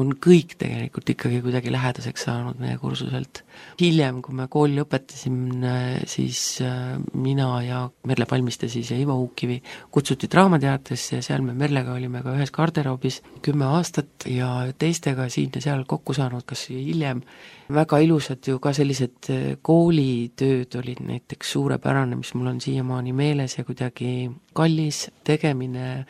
[SPEAKER 2] on kõik tegelikult ikkagi kuidagi lähedaseks saanud meie kursuselt. Hiljem, kui me kooli lõpetasime, siis mina ja Merle Palmiste siis ja Ivo Uukivi kutsuti Draamateatrisse ja seal me Merlega olime ka ühes garderoobis kümme aastat ja teistega siin ja seal kokku saanud, kas hiljem. Väga ilusad ju ka sellised koolitööd olid näiteks suurepärane, mis mul on siiamaani meeles ja kuidagi kallis tegemine.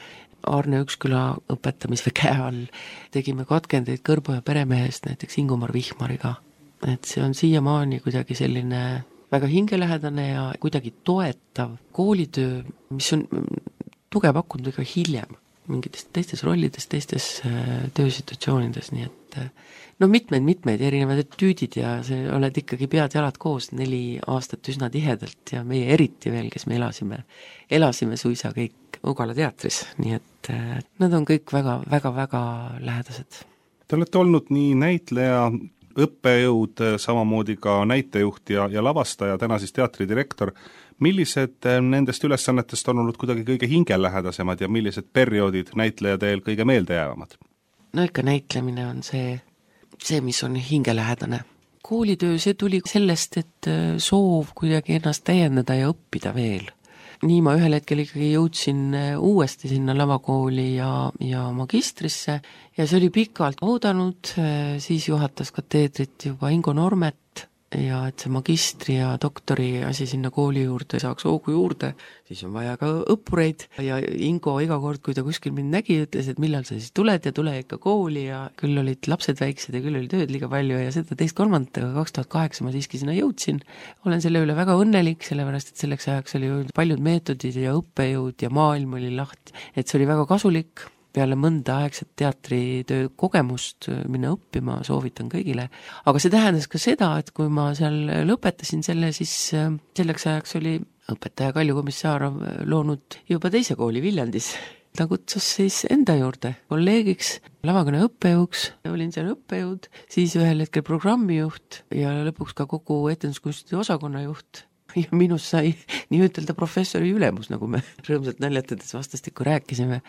[SPEAKER 2] Arne Üksküla õpetamise käe all tegime katkendeid Kõrbo ja peremehest näiteks Ingomar Vihmariga. Et see on siiamaani kuidagi selline väga hingelähedane ja kuidagi toetav koolitöö, mis on tuge pakkunud ka hiljem mingites teistes rollides, teistes töösituatsioonides, nii et no mitmeid-mitmeid erinevad etüüdid ja see oled ikkagi pead jalad koos neli aastat üsna tihedalt ja meie eriti veel, kes me elasime, elasime suisa kõik Ugala teatris, nii et nad on kõik väga, väga, väga lähedased.
[SPEAKER 1] Te olete olnud nii näitleja, õppejõud, samamoodi ka näitejuht ja, ja lavastaja, täna siis teatridirektor. Millised nendest ülesannetest on olnud kuidagi kõige hingelähedasemad ja millised perioodid näitleja teel kõige meeldejäävamad?
[SPEAKER 2] No ikka näitlemine on see, see, mis on hingelähedane. Koolitöö, see tuli sellest, et soov kuidagi ennast täiendada ja õppida veel. Nii ma ühel hetkel ikkagi jõudsin uuesti sinna lavakooli ja, ja magistrisse ja see oli pikalt oodanud, siis juhatas kateedrit juba Ingo Normet ja et see magistri ja doktori asi sinna kooli juurde saaks hoogu juurde, siis on vaja ka õppureid ja Ingo iga kord, kui ta kuskil mind nägi, ütles, et millal sa siis tuled ja tule ikka kooli ja küll olid lapsed väiksed ja küll oli tööd liiga palju ja seda teist kolmandat, aga kaks tuhat kaheksa ma siiski sinna jõudsin. Olen selle üle väga õnnelik, sellepärast et selleks ajaks oli paljud meetodid ja õppejõud ja maailm oli lahti, et see oli väga kasulik. Peale mõnda aegset teatritöö kogemust minna õppima soovitan kõigile. Aga see tähendas ka seda, et kui ma seal lõpetasin selle, siis selleks ajaks oli õpetaja Kalju Komissarov loonud juba teise kooli Viljandis. Ta kutsus siis enda juurde kolleegiks, lavakõne õppejõuks, olin seal õppejõud, siis ühel hetkel programmijuht ja lõpuks ka kogu etenduskunsti osakonna juht. Ja minus sai nii ütelda professori ülemus, nagu me rõõmsalt naljatades vastastikku rääkisime.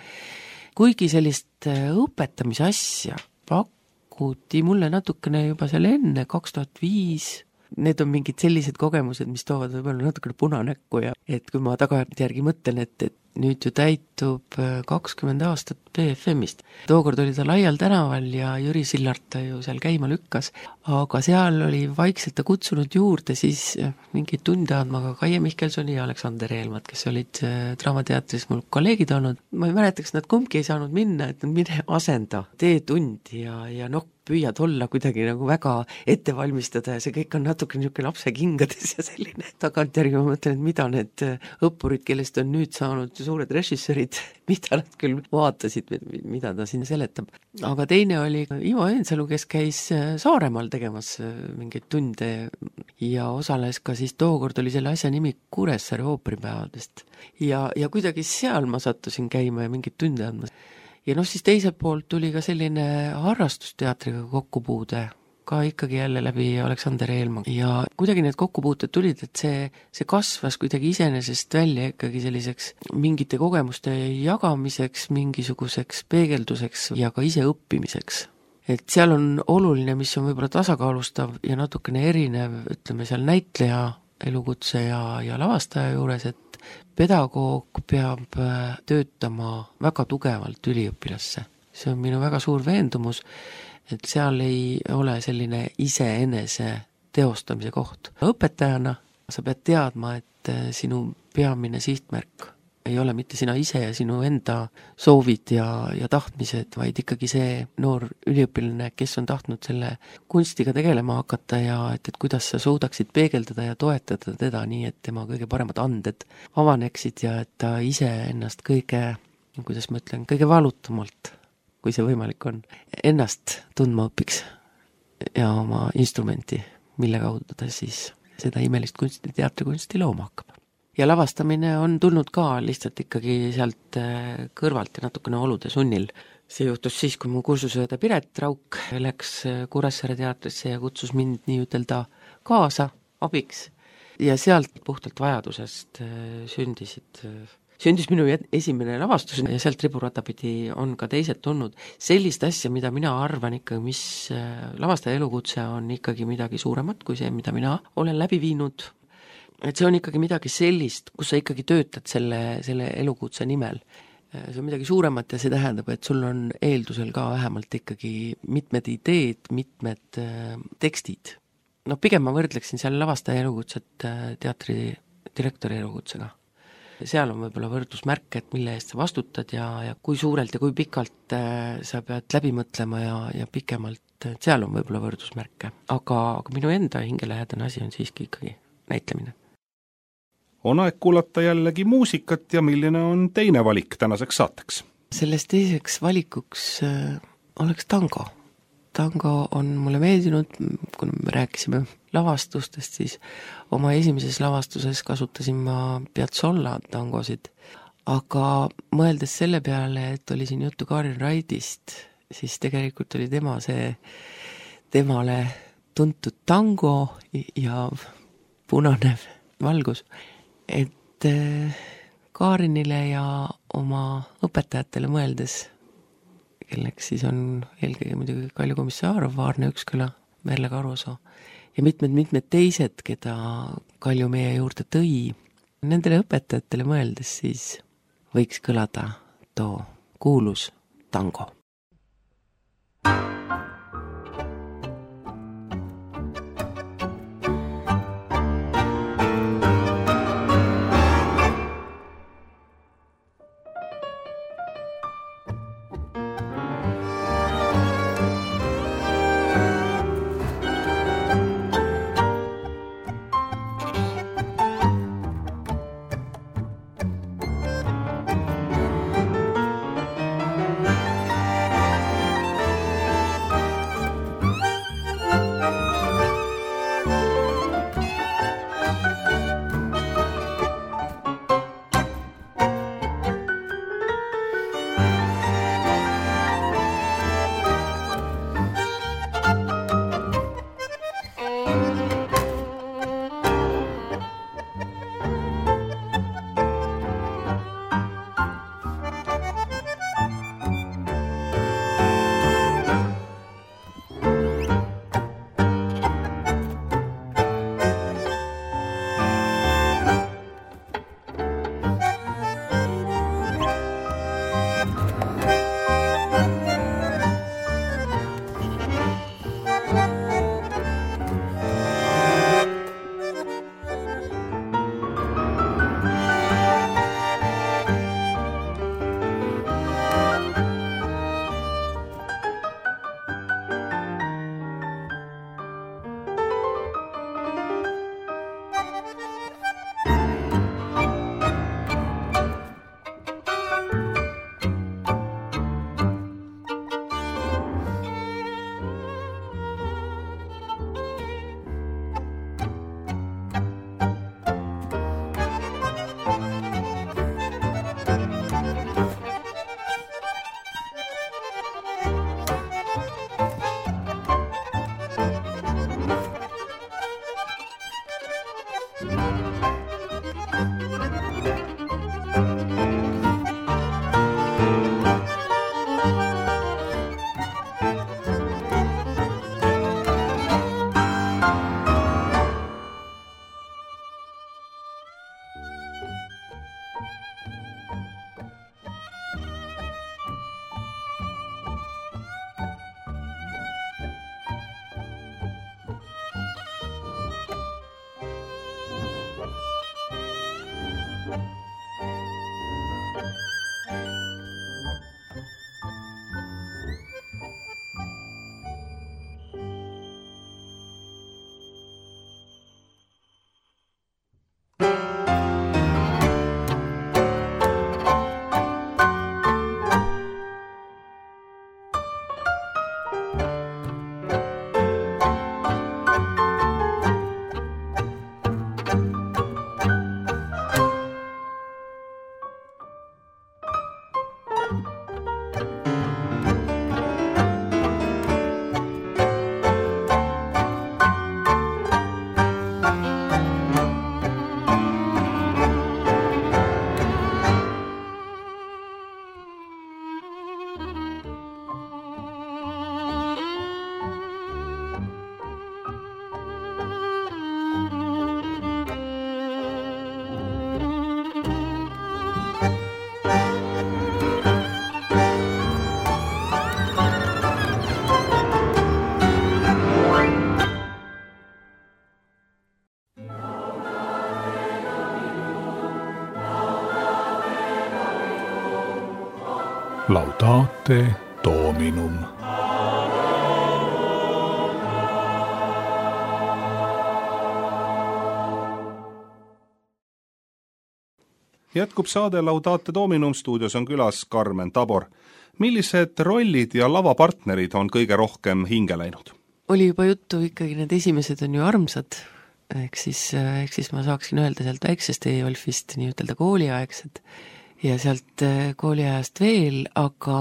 [SPEAKER 2] Kuigi sellist õpetamise asja pakuti mulle natukene juba seal enne, kaks tuhat viis, need on mingid sellised kogemused, mis toovad võib-olla natukene punanäkku ja et kui ma tagantjärgi mõtlen, et, et nüüd ju täitub kakskümmend aastat B F M-ist. Tookord oli ta Laial tänaval ja Jüri Sillart ta ju seal käima lükkas, aga seal oli vaikselt ta kutsunud juurde siis mingeid tunde andma ka Kaie Mihkelsoni ja Aleksander Eelmat, kes olid Draamateatris mul kolleegid olnud. Ma ei mäleta, kas nad kumbki ei saanud minna, et nad mine asenda, tee tundi ja, ja noh, püüad olla kuidagi nagu väga ette valmistada ja see kõik on natuke niisugune lapse kingades ja selline. Tagantjärgi ma mõtlen, et mida need õppurid, kellest on nüüd saanud suured režissöörid, mida nad küll vaatasid, mida ta siin seletab. Aga teine oli Ivo Eensalu, kes käis Saaremaal tegemas mingeid tunde ja osales ka siis tookord oli selle asja nimi Kuressaare ooperipäevadest. Ja, ja kuidagi seal ma sattusin käima ja mingeid tunde andma. Ja noh, siis teiselt poolt tuli ka selline harrastusteatriga kokkupuude, ka ikkagi jälle läbi Aleksander Eelma. Ja kuidagi need kokkupuuted tulid, et see, see kasvas kuidagi iseenesest välja ikkagi selliseks mingite kogemuste jagamiseks, mingisuguseks peegelduseks ja ka ise õppimiseks. Et seal on oluline, mis on võib-olla tasakaalustav ja natukene erinev, ütleme seal näitleja elukutse ja, ja lavastaja juures, et pedagoog peab töötama väga tugevalt üliõpilasse. See on minu väga suur veendumus, et seal ei ole selline iseenese teostamise koht. Õpetajana sa pead teadma, et sinu peamine sihtmärk ei ole mitte sina ise ja sinu enda soovid ja, ja tahtmised, vaid ikkagi see noor üliõpilane, kes on tahtnud selle kunstiga tegelema hakata ja et, et kuidas sa suudaksid peegeldada ja toetada teda nii, et tema kõige paremad anded avaneksid ja et ta ise ennast kõige, kuidas ma ütlen, kõige valutamalt, kui see võimalik on, ennast tundma õpiks ja oma instrumenti, mille kaudu ta siis seda imelist kunsti, teatrikunsti looma hakkab. Ja lavastamine on tulnud ka lihtsalt ikkagi sealt kõrvalt ja natukene olude sunnil. See juhtus siis, kui mu kursusõeda Piret Rauk läks Kuressaare teatrisse ja kutsus mind nii ütelda kaasa, abiks. Ja sealt puhtalt vajadusest sündisid sündis minu esimene lavastus ja sealt riburata pidi on ka teised tulnud. Sellist asja, mida mina arvan ikkagi, mis lavastaja elukutse on ikkagi midagi suuremat kui see, mida mina olen läbi viinud. Et see on ikkagi midagi sellist, kus sa ikkagi töötad selle, selle elukutse nimel. See on midagi suuremat ja see tähendab, et sul on eeldusel ka vähemalt ikkagi mitmed ideed, mitmed tekstid. No pigem ma võrdleksin seal lavastaja elukutset teatri direktori elukutsega. Seal on võib-olla võrdlusmärk, et mille eest sa vastutad ja, ja kui suurelt ja kui pikalt äh, sa pead läbi mõtlema ja, ja pikemalt, et seal on võib-olla võrdlusmärke. Aga, aga minu enda hingelähedane asi on siiski ikkagi näitlemine.
[SPEAKER 1] On aeg kuulata jällegi muusikat ja milline on teine valik tänaseks saateks? Sellest
[SPEAKER 2] teiseks valikuks äh, oleks tango. Tango on mulle meeldinud, kui me rääkisime lavastustest, siis oma esimeses lavastuses kasutasin ma Piazzolla tangosid, aga mõeldes selle peale, et oli siin juttu Karin Raidist, siis tegelikult oli tema see temale tuntud tango ja punane valgus, et Karinile ja oma õpetajatele mõeldes, kelleks siis on eelkõige muidugi Kalju Komissaarov, Vaarne Üksküla, Merle Karusoo ja mitmed-mitmed teised, keda Kalju meie juurde tõi. Nendele õpetajatele mõeldes siis võiks kõlada too kuulus tango.
[SPEAKER 1] Laudate Dominum. Jätkub saade Laudate Dominum, stuudios on külas Karmen Tabor. Millised rollid ja lavapartnerid on kõige rohkem hinge läinud?
[SPEAKER 2] Oli juba juttu, ikkagi need esimesed on ju armsad, ehk siis, ehk siis ma saaksin öelda sealt väiksest E-Wolfist nii ütelda kooliaegsed ja sealt kooliajast veel, aga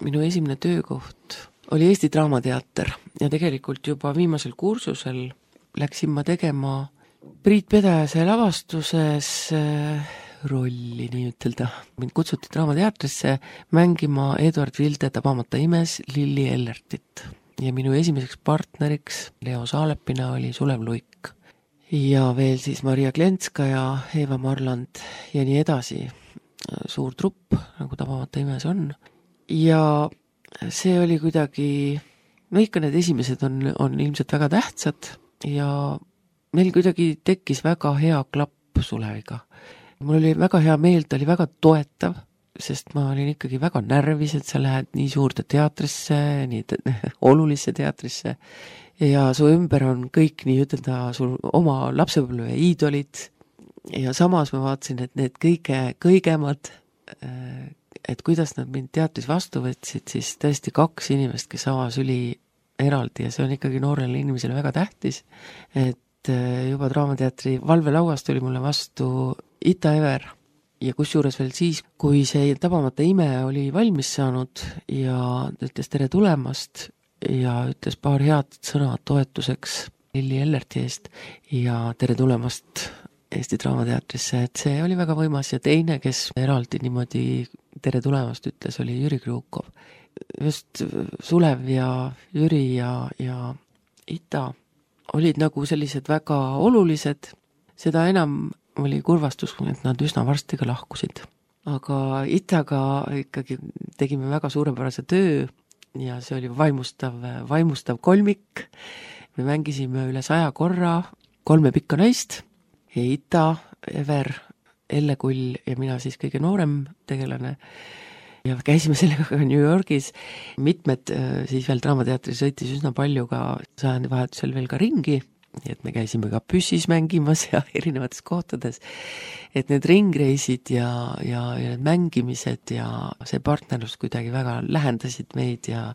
[SPEAKER 2] minu esimene töökoht oli Eesti Draamateater ja tegelikult juba viimasel kursusel läksin ma tegema Priit Pedajase lavastuses rolli, nii ütelda. Mind kutsuti Draamateatrisse mängima Eduard Vilde Tabamata imes Lilli Ellertit ja minu esimeseks partneriks Leo Saalepina oli Sulev Luik ja veel siis Maria Klenska ja Eeva Marland ja nii edasi. Suur trupp, nagu Tabamata imes on ja see oli kuidagi, no ikka need esimesed on, on ilmselt väga tähtsad ja meil kuidagi tekkis väga hea klapp Suleviga. Mul oli väga hea meel, ta oli väga toetav, sest ma olin ikkagi väga närvis, et sa lähed nii suurde teatrisse, nii te- olulisse teatrisse ja su ümber on kõik nii ütelda sul oma lapsepõlve iidolid ja samas ma vaatasin, et need kõige kõigemad, et kuidas nad mind teatris vastu võtsid, siis tõesti kaks inimest, kes avas üli eraldi ja see on ikkagi noorele inimesele väga tähtis, et juba Draamateatri valvelauast tuli mulle vastu Ita Ever ja kusjuures veel siis, kui see Tabamata ime oli valmis saanud ja ütles tere tulemast ja ütles paar head sõna toetuseks Lilli Ellerti eest ja tere tulemast Eesti Draamateatrisse, et see oli väga võimas ja teine, kes eraldi niimoodi tere tulemast ütles, oli Jüri Krukov. Just Sulev ja Jüri ja, ja Ita olid nagu sellised väga olulised, seda enam oli kurvastus, et nad üsna varsti ka lahkusid. Aga Itaga ikkagi tegime väga suurepärase töö ja see oli vaimustav, vaimustav kolmik. Me mängisime üle saja korra kolme pikka naist ja Ita, Ever, Elle Kull ja mina siis kõige noorem tegelane. Ja käisime sellega ka New Yorgis. Mitmed siis veel Draamateatris sõitis üsna palju ka sajandi vahetusel veel ka ringi, et me käisime ka püssis mängimas ja erinevates kohtades. Et need ringreisid ja, ja, ja need mängimised ja see partnerlus kuidagi väga lähendasid meid ja,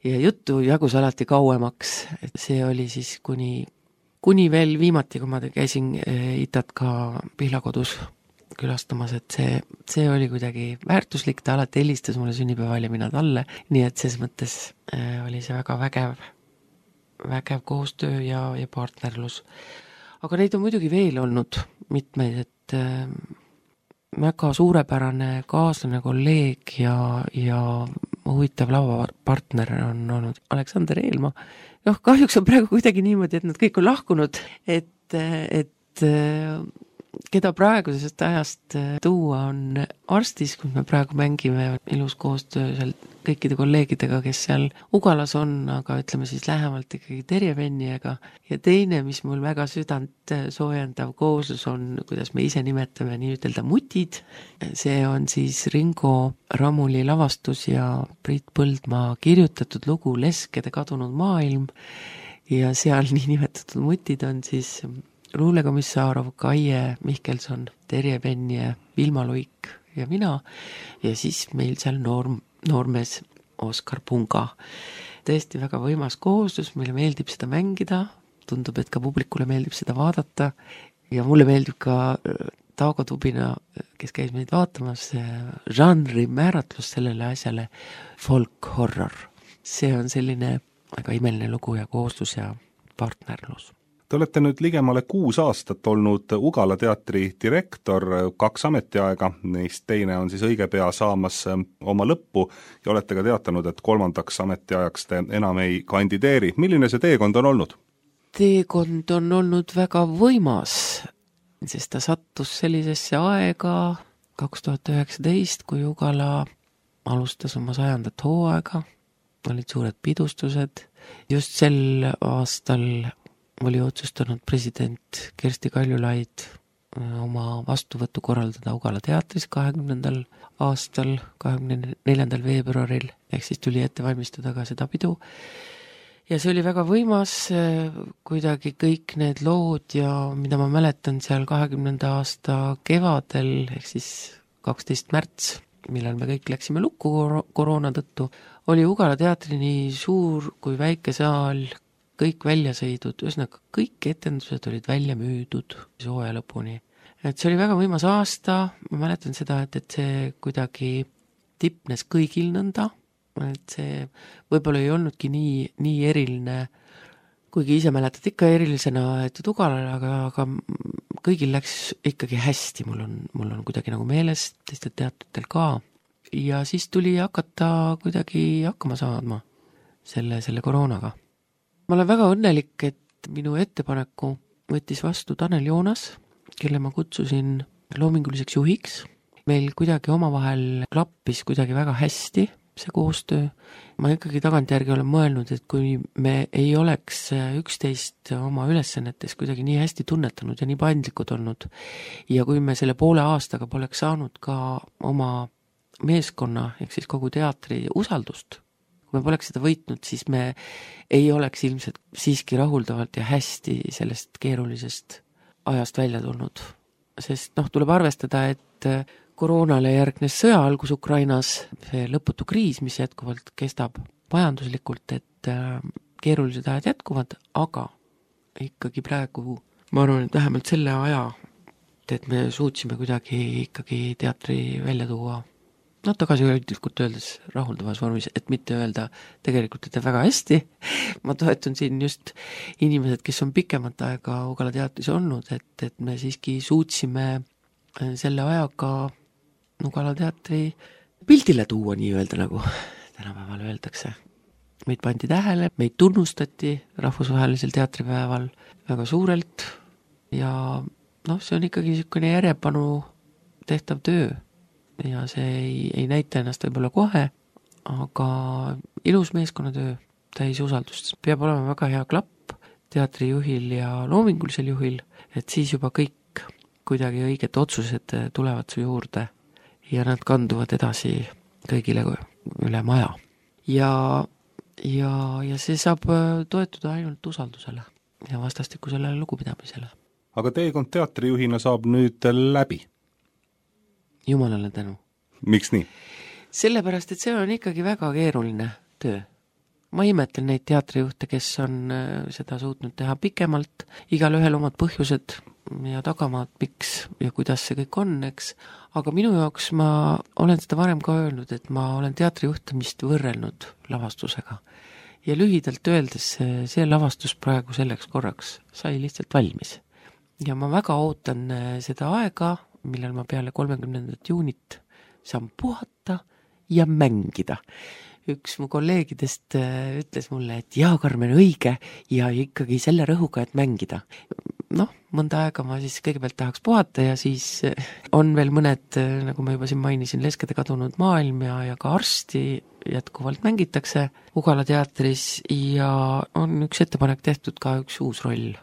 [SPEAKER 2] ja juttu jagus alati kauemaks. Et see oli siis kuni, kuni veel viimati, kui ma käisin Itat ka Pihlakodus külastamas, et see, see oli kuidagi väärtuslik, ta alati helistas mulle sünnipäeval ja mina talle, nii et ses mõttes äh, oli see väga vägev, vägev koostöö ja, ja partnerlus. Aga neid on muidugi veel olnud mitmeid, et äh, väga suurepärane kaaslane, kolleeg ja, ja huvitav lavapartner on olnud Aleksander Eelma. Noh, kahjuks on praegu kuidagi niimoodi, et nad kõik on lahkunud, et, et äh, keda praegusest ajast tuua on arstis, kui me praegu mängime ilus koostöö seal kõikide kolleegidega, kes seal Ugalas on, aga ütleme siis lähemalt ikkagi Terje Venniega. Ja teine, mis mul väga südant soojendav kooslus on, kuidas me ise nimetame nii ütelda mutid, see on siis Ringo Ramuli lavastus ja Priit Põldmaa kirjutatud lugu Leskede kadunud maailm ja seal nii nimetatud mutid on siis Luule Komissarov, Kaie Mihkelson, Terje Vennie, Vilma Luik ja mina ja siis meil seal noor, noormees Oskar Punga. Tõesti väga võimas kooslus, meile meeldib seda mängida, tundub, et ka publikule meeldib seda vaadata ja mulle meeldib ka Taugo Tubina, kes käis meid vaatamas, žanri määratlus sellele asjale folk horror. See on selline väga imeline lugu ja kooslus ja partnerlus.
[SPEAKER 1] Te olete nüüd ligemale kuus aastat olnud Ugala teatri direktor, kaks ametiaega, neist teine on siis õige pea saamas oma lõppu ja olete ka teatanud, et kolmandaks ametiajaks te enam ei kandideeri. Milline see teekond on olnud?
[SPEAKER 2] Teekond on olnud väga võimas, sest ta sattus sellisesse aega kaks tuhat üheksateist, kui Ugala alustas oma sajandat hooaega, olid suured pidustused. Just sel aastal oli otsustanud president Kersti Kaljulaid oma vastuvõttu korraldada Ugala teatris kahekümnendal aastal, kahekümne neljandal veebruaril, ehk siis tuli ette valmistada ka seda pidu. Ja see oli väga võimas, kuidagi kõik need lood ja mida ma mäletan seal kahekümnenda aasta kevadel, ehk siis kaksteist märts, millal me kõik läksime lukku koroona tõttu, oli Ugala teatri nii suur kui väike saal, kõik väljasõidud, ühesõnaga kõik etendused olid välja müüdud sooja lõpuni. Et see oli väga võimas aasta, ma mäletan seda, et, et see kuidagi tipnes kõigil nõnda, et see võib-olla ei olnudki nii, nii eriline, kuigi ise mäletad ikka erilisena, et Ugalale, aga, aga kõigil läks ikkagi hästi, mul on, mul on kuidagi nagu meeles, teistel teatritel ka. Ja siis tuli hakata kuidagi hakkama saadma selle, selle koroonaga. Ma olen väga õnnelik, et minu ettepaneku võttis vastu Tanel Joonas, kelle ma kutsusin loominguliseks juhiks. Meil kuidagi omavahel klappis kuidagi väga hästi see koostöö. Ma ikkagi tagantjärgi olen mõelnud, et kui me ei oleks üksteist oma ülesannetes kuidagi nii hästi tunnetanud ja nii paindlikud olnud ja kui me selle poole aastaga poleks saanud ka oma meeskonna, ehk siis kogu teatri usaldust, kui me poleks seda võitnud, siis me ei oleks ilmselt siiski rahuldavalt ja hästi sellest keerulisest ajast välja tulnud. Sest noh, tuleb arvestada, et koroonale järgnes sõja algus Ukrainas, see lõputu kriis, mis jätkuvalt kestab majanduslikult, et keerulised ajad jätkuvad, aga ikkagi praegu, ma arvan, et vähemalt selle aja, et me suutsime kuidagi ikkagi teatri välja tuua, no tagasihoidlikult öeldes rahuldavas vormis, et mitte öelda tegelikult, et väga hästi. Ma toetun siin just inimesed, kes on pikemat aega Ugala teatris olnud, et, et me siiski suutsime selle ajaga Ugala teatri pildile tuua, nii öelda, nagu tänapäeval öeldakse. Meid pandi tähele, meid tunnustati rahvusvahelisel teatripäeval väga suurelt ja noh, see on ikkagi niisugune järjepanu tehtav töö ja see ei, ei näita ennast võib-olla kohe, aga ilus meeskonnatöö, täis usaldust, peab olema väga hea klapp teatrijuhil ja loomingulisel juhil, et siis juba kõik kuidagi õiged otsused tulevad su juurde ja nad kanduvad edasi kõigile üle maja. Ja, ja, ja see saab toetuda ainult usaldusele ja vastastikusele lugupidamisele.
[SPEAKER 1] Aga teekond teatrijuhina saab nüüd läbi?
[SPEAKER 2] Jumalale tänu.
[SPEAKER 1] Miks nii?
[SPEAKER 2] Sellepärast, et see on ikkagi väga keeruline töö. Ma imetlen neid teatrijuhte, kes on seda suutnud teha pikemalt, igal ühel omad põhjused ja tagamaad, miks ja kuidas see kõik on, eks. Aga minu jaoks ma olen seda varem ka öelnud, et ma olen teatrijuhtamist võrrelnud lavastusega. Ja lühidalt öeldes see lavastus praegu selleks korraks sai lihtsalt valmis. Ja ma väga ootan seda aega, millal ma peale kolmekümnendat juunit saan puhata ja mängida. Üks mu kolleegidest ütles mulle, et jaa, Karmen, õige ja ikkagi selle rõhuga, et mängida. Noh, mõnda aega ma siis kõigepealt tahaks puhata ja siis on veel mõned, nagu ma juba siin mainisin, Leskede kadunud maailm ja, ja ka Arsti jätkuvalt mängitakse Ugala teatris ja on üks ettepanek tehtud ka üks uus roll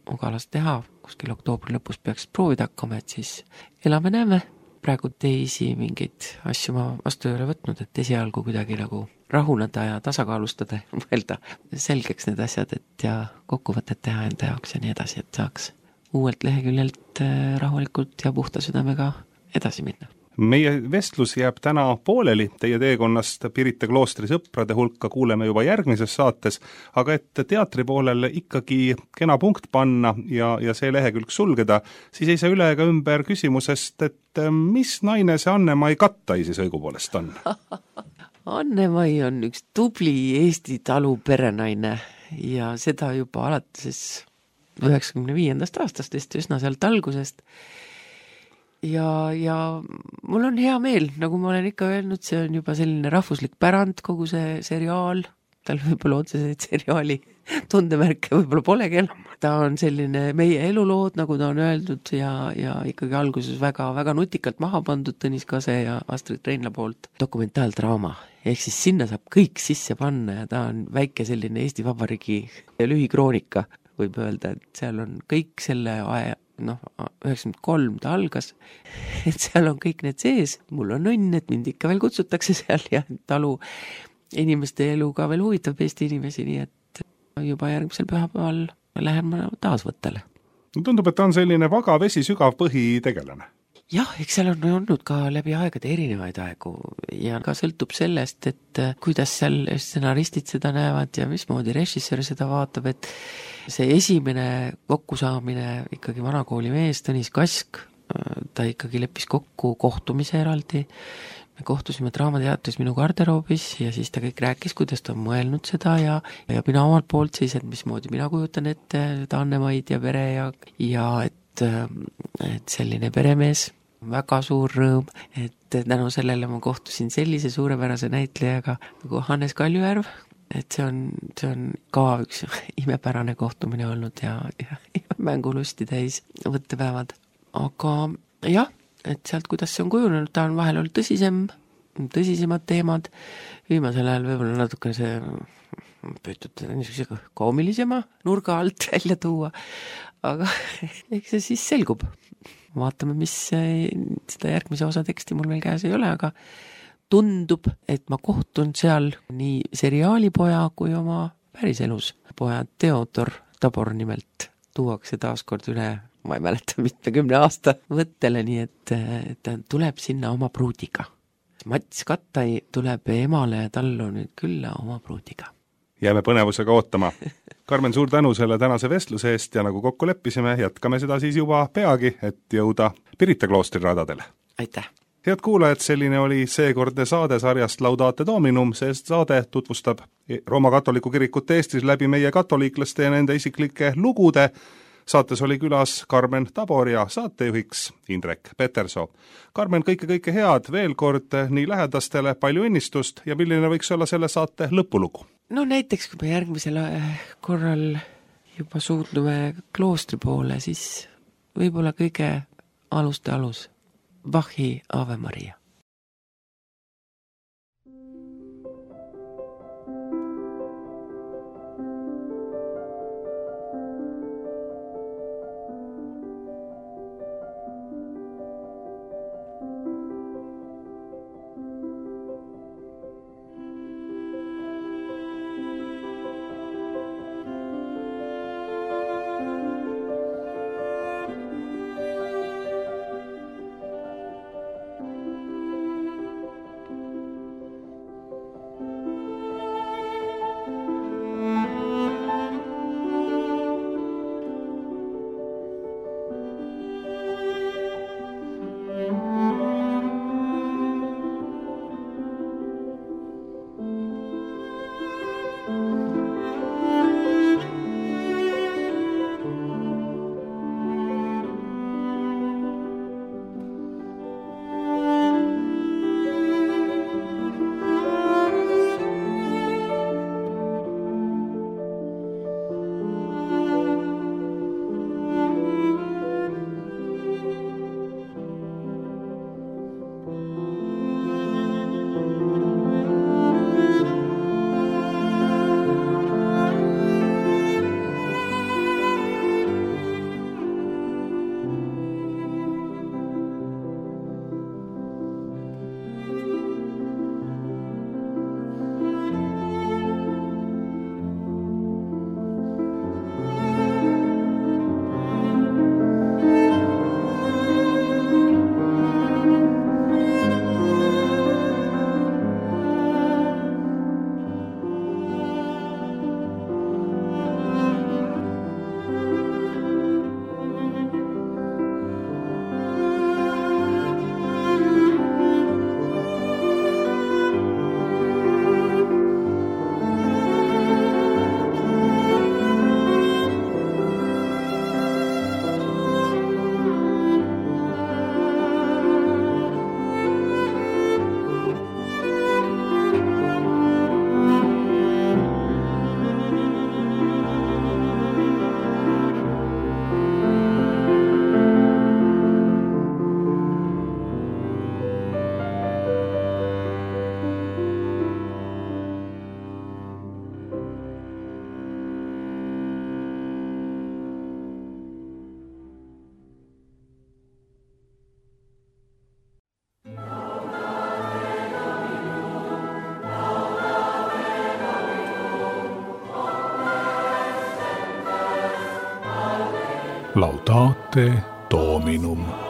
[SPEAKER 2] Ugalas teha, kuskil oktoobri lõpus peaks proovida hakkama, et siis elame-näeme. Praegu teisi mingeid asju ma vastu ei ole võtnud, et esialgu kuidagi nagu rahuneda ja tasakaalustada ja mõelda selgeks need asjad, et ja kokkuvõtet teha enda jaoks ja nii edasi, et saaks uuelt leheküljelt rahulikult ja puhta südamega edasi minna.
[SPEAKER 1] Meie vestlus jääb täna pooleli, teie teekonnast Pirita kloostri sõprade hulka kuuleme juba järgmises saates, aga et teatri poolel ikkagi kena punkt panna ja, ja see lehekülg sulgeda, siis ei saa üle ega ümber küsimusest, et mis naine see Anne-Mai Kattaisi õigupoolest on?
[SPEAKER 2] Anne-Mai on üks tubli Eesti talu perenaine ja seda juba alates üheksakümne viiendast aastast, üsna sealt algusest. Ja, ja mul on hea meel, nagu ma olen ikka öelnud, see on juba selline rahvuslik pärand, kogu see seriaal, tal võib-olla otseseid seriaali tundemärke võib-olla polegi enam. Ta on selline meie elulood, nagu ta on öeldud ja, ja ikkagi alguses väga, väga nutikalt maha pandud Tõnis Kase ja Astrid Reinla poolt dokumentaaldraama. Ehk siis sinna saab kõik sisse panna ja ta on väike selline Eesti Vabariigi lühikroonika võib öelda, et seal on kõik selle aja, noh, üheksakümmend kolm ta algas, et seal on kõik need sees, mul on õnn, et mind ikka veel kutsutakse seal ja talu inimeste elu ka veel huvitab Eesti inimesi, nii et juba järgmisel pühapäeval lähen ma taas võttele.
[SPEAKER 1] Tundub, et ta on selline vaga vesi sügav põhi tegelane.
[SPEAKER 2] Jah, eks seal on olnud ka läbi aegade erinevaid aegu ja ka sõltub sellest, et kuidas seal stsenaristid seda näevad ja mismoodi režissöör seda vaatab, et see esimene kokkusaamine ikkagi vanakooli mees Tõnis Kask, ta ikkagi leppis kokku kohtumise eraldi, me kohtusime Draamateatris minu garderoobis ja siis ta kõik rääkis, kuidas ta on mõelnud seda ja, ja mina omalt poolt siis, et mismoodi mina kujutan ette Annemaid ja pere ja, ja et, et selline peremees, väga suur rõõm, et tänu sellele ma kohtusin sellise suurepärase näitlejaga nagu Hannes Kaljujärv, et see on, see on ka üks imepärane kohtumine olnud ja, ja, ja mängulusti täis võttepäevad. Aga jah, et sealt, kuidas see on kujunenud, ta on vahel olnud tõsisem, tõsisemad teemad, viimasel ajal võib-olla natuke see püütud niisuguse koomilisema nurga alt välja tuua, aga eks see siis selgub. Vaatame, mis seda järgmise osa teksti mul veel käes ei ole, aga tundub, et ma kohtun seal nii seriaalipoja kui oma päriselus. Poja Theodor Tabor nimelt tuuakse taaskord üle, ma ei mäleta, mitmekümne aasta võttele, nii et ta tuleb sinna oma pruudiga. Mats Kattai tuleb emale ja tallu nüüd külla oma pruudiga.
[SPEAKER 1] Jääme põnevusega ootama. Karmen, suur tänu selle tänase vestluse eest ja nagu kokku leppisime, jätkame seda siis juba peagi, et jõuda Pirita kloostri radadele.
[SPEAKER 2] Aitäh!
[SPEAKER 1] Head kuulajad, selline oli seekordne saade sarjast Laudate Dominum, sest saade tutvustab Rooma katoliku kirikut Eestis läbi meie katoliiklaste ja nende isiklike lugude. Saates oli külas Karmen Tabor ja saatejuhiks Indrek Petersoo. Karmen, kõike-kõike head veel kord nii lähedastele, palju õnnistust ja milline võiks olla selle saate lõpulugu?
[SPEAKER 2] No näiteks, kui me järgmisel korral juba suudlume kloostri poole, siis võib-olla kõige aluste alus. Bachi Ave Maria.
[SPEAKER 1] Laudate Dominum.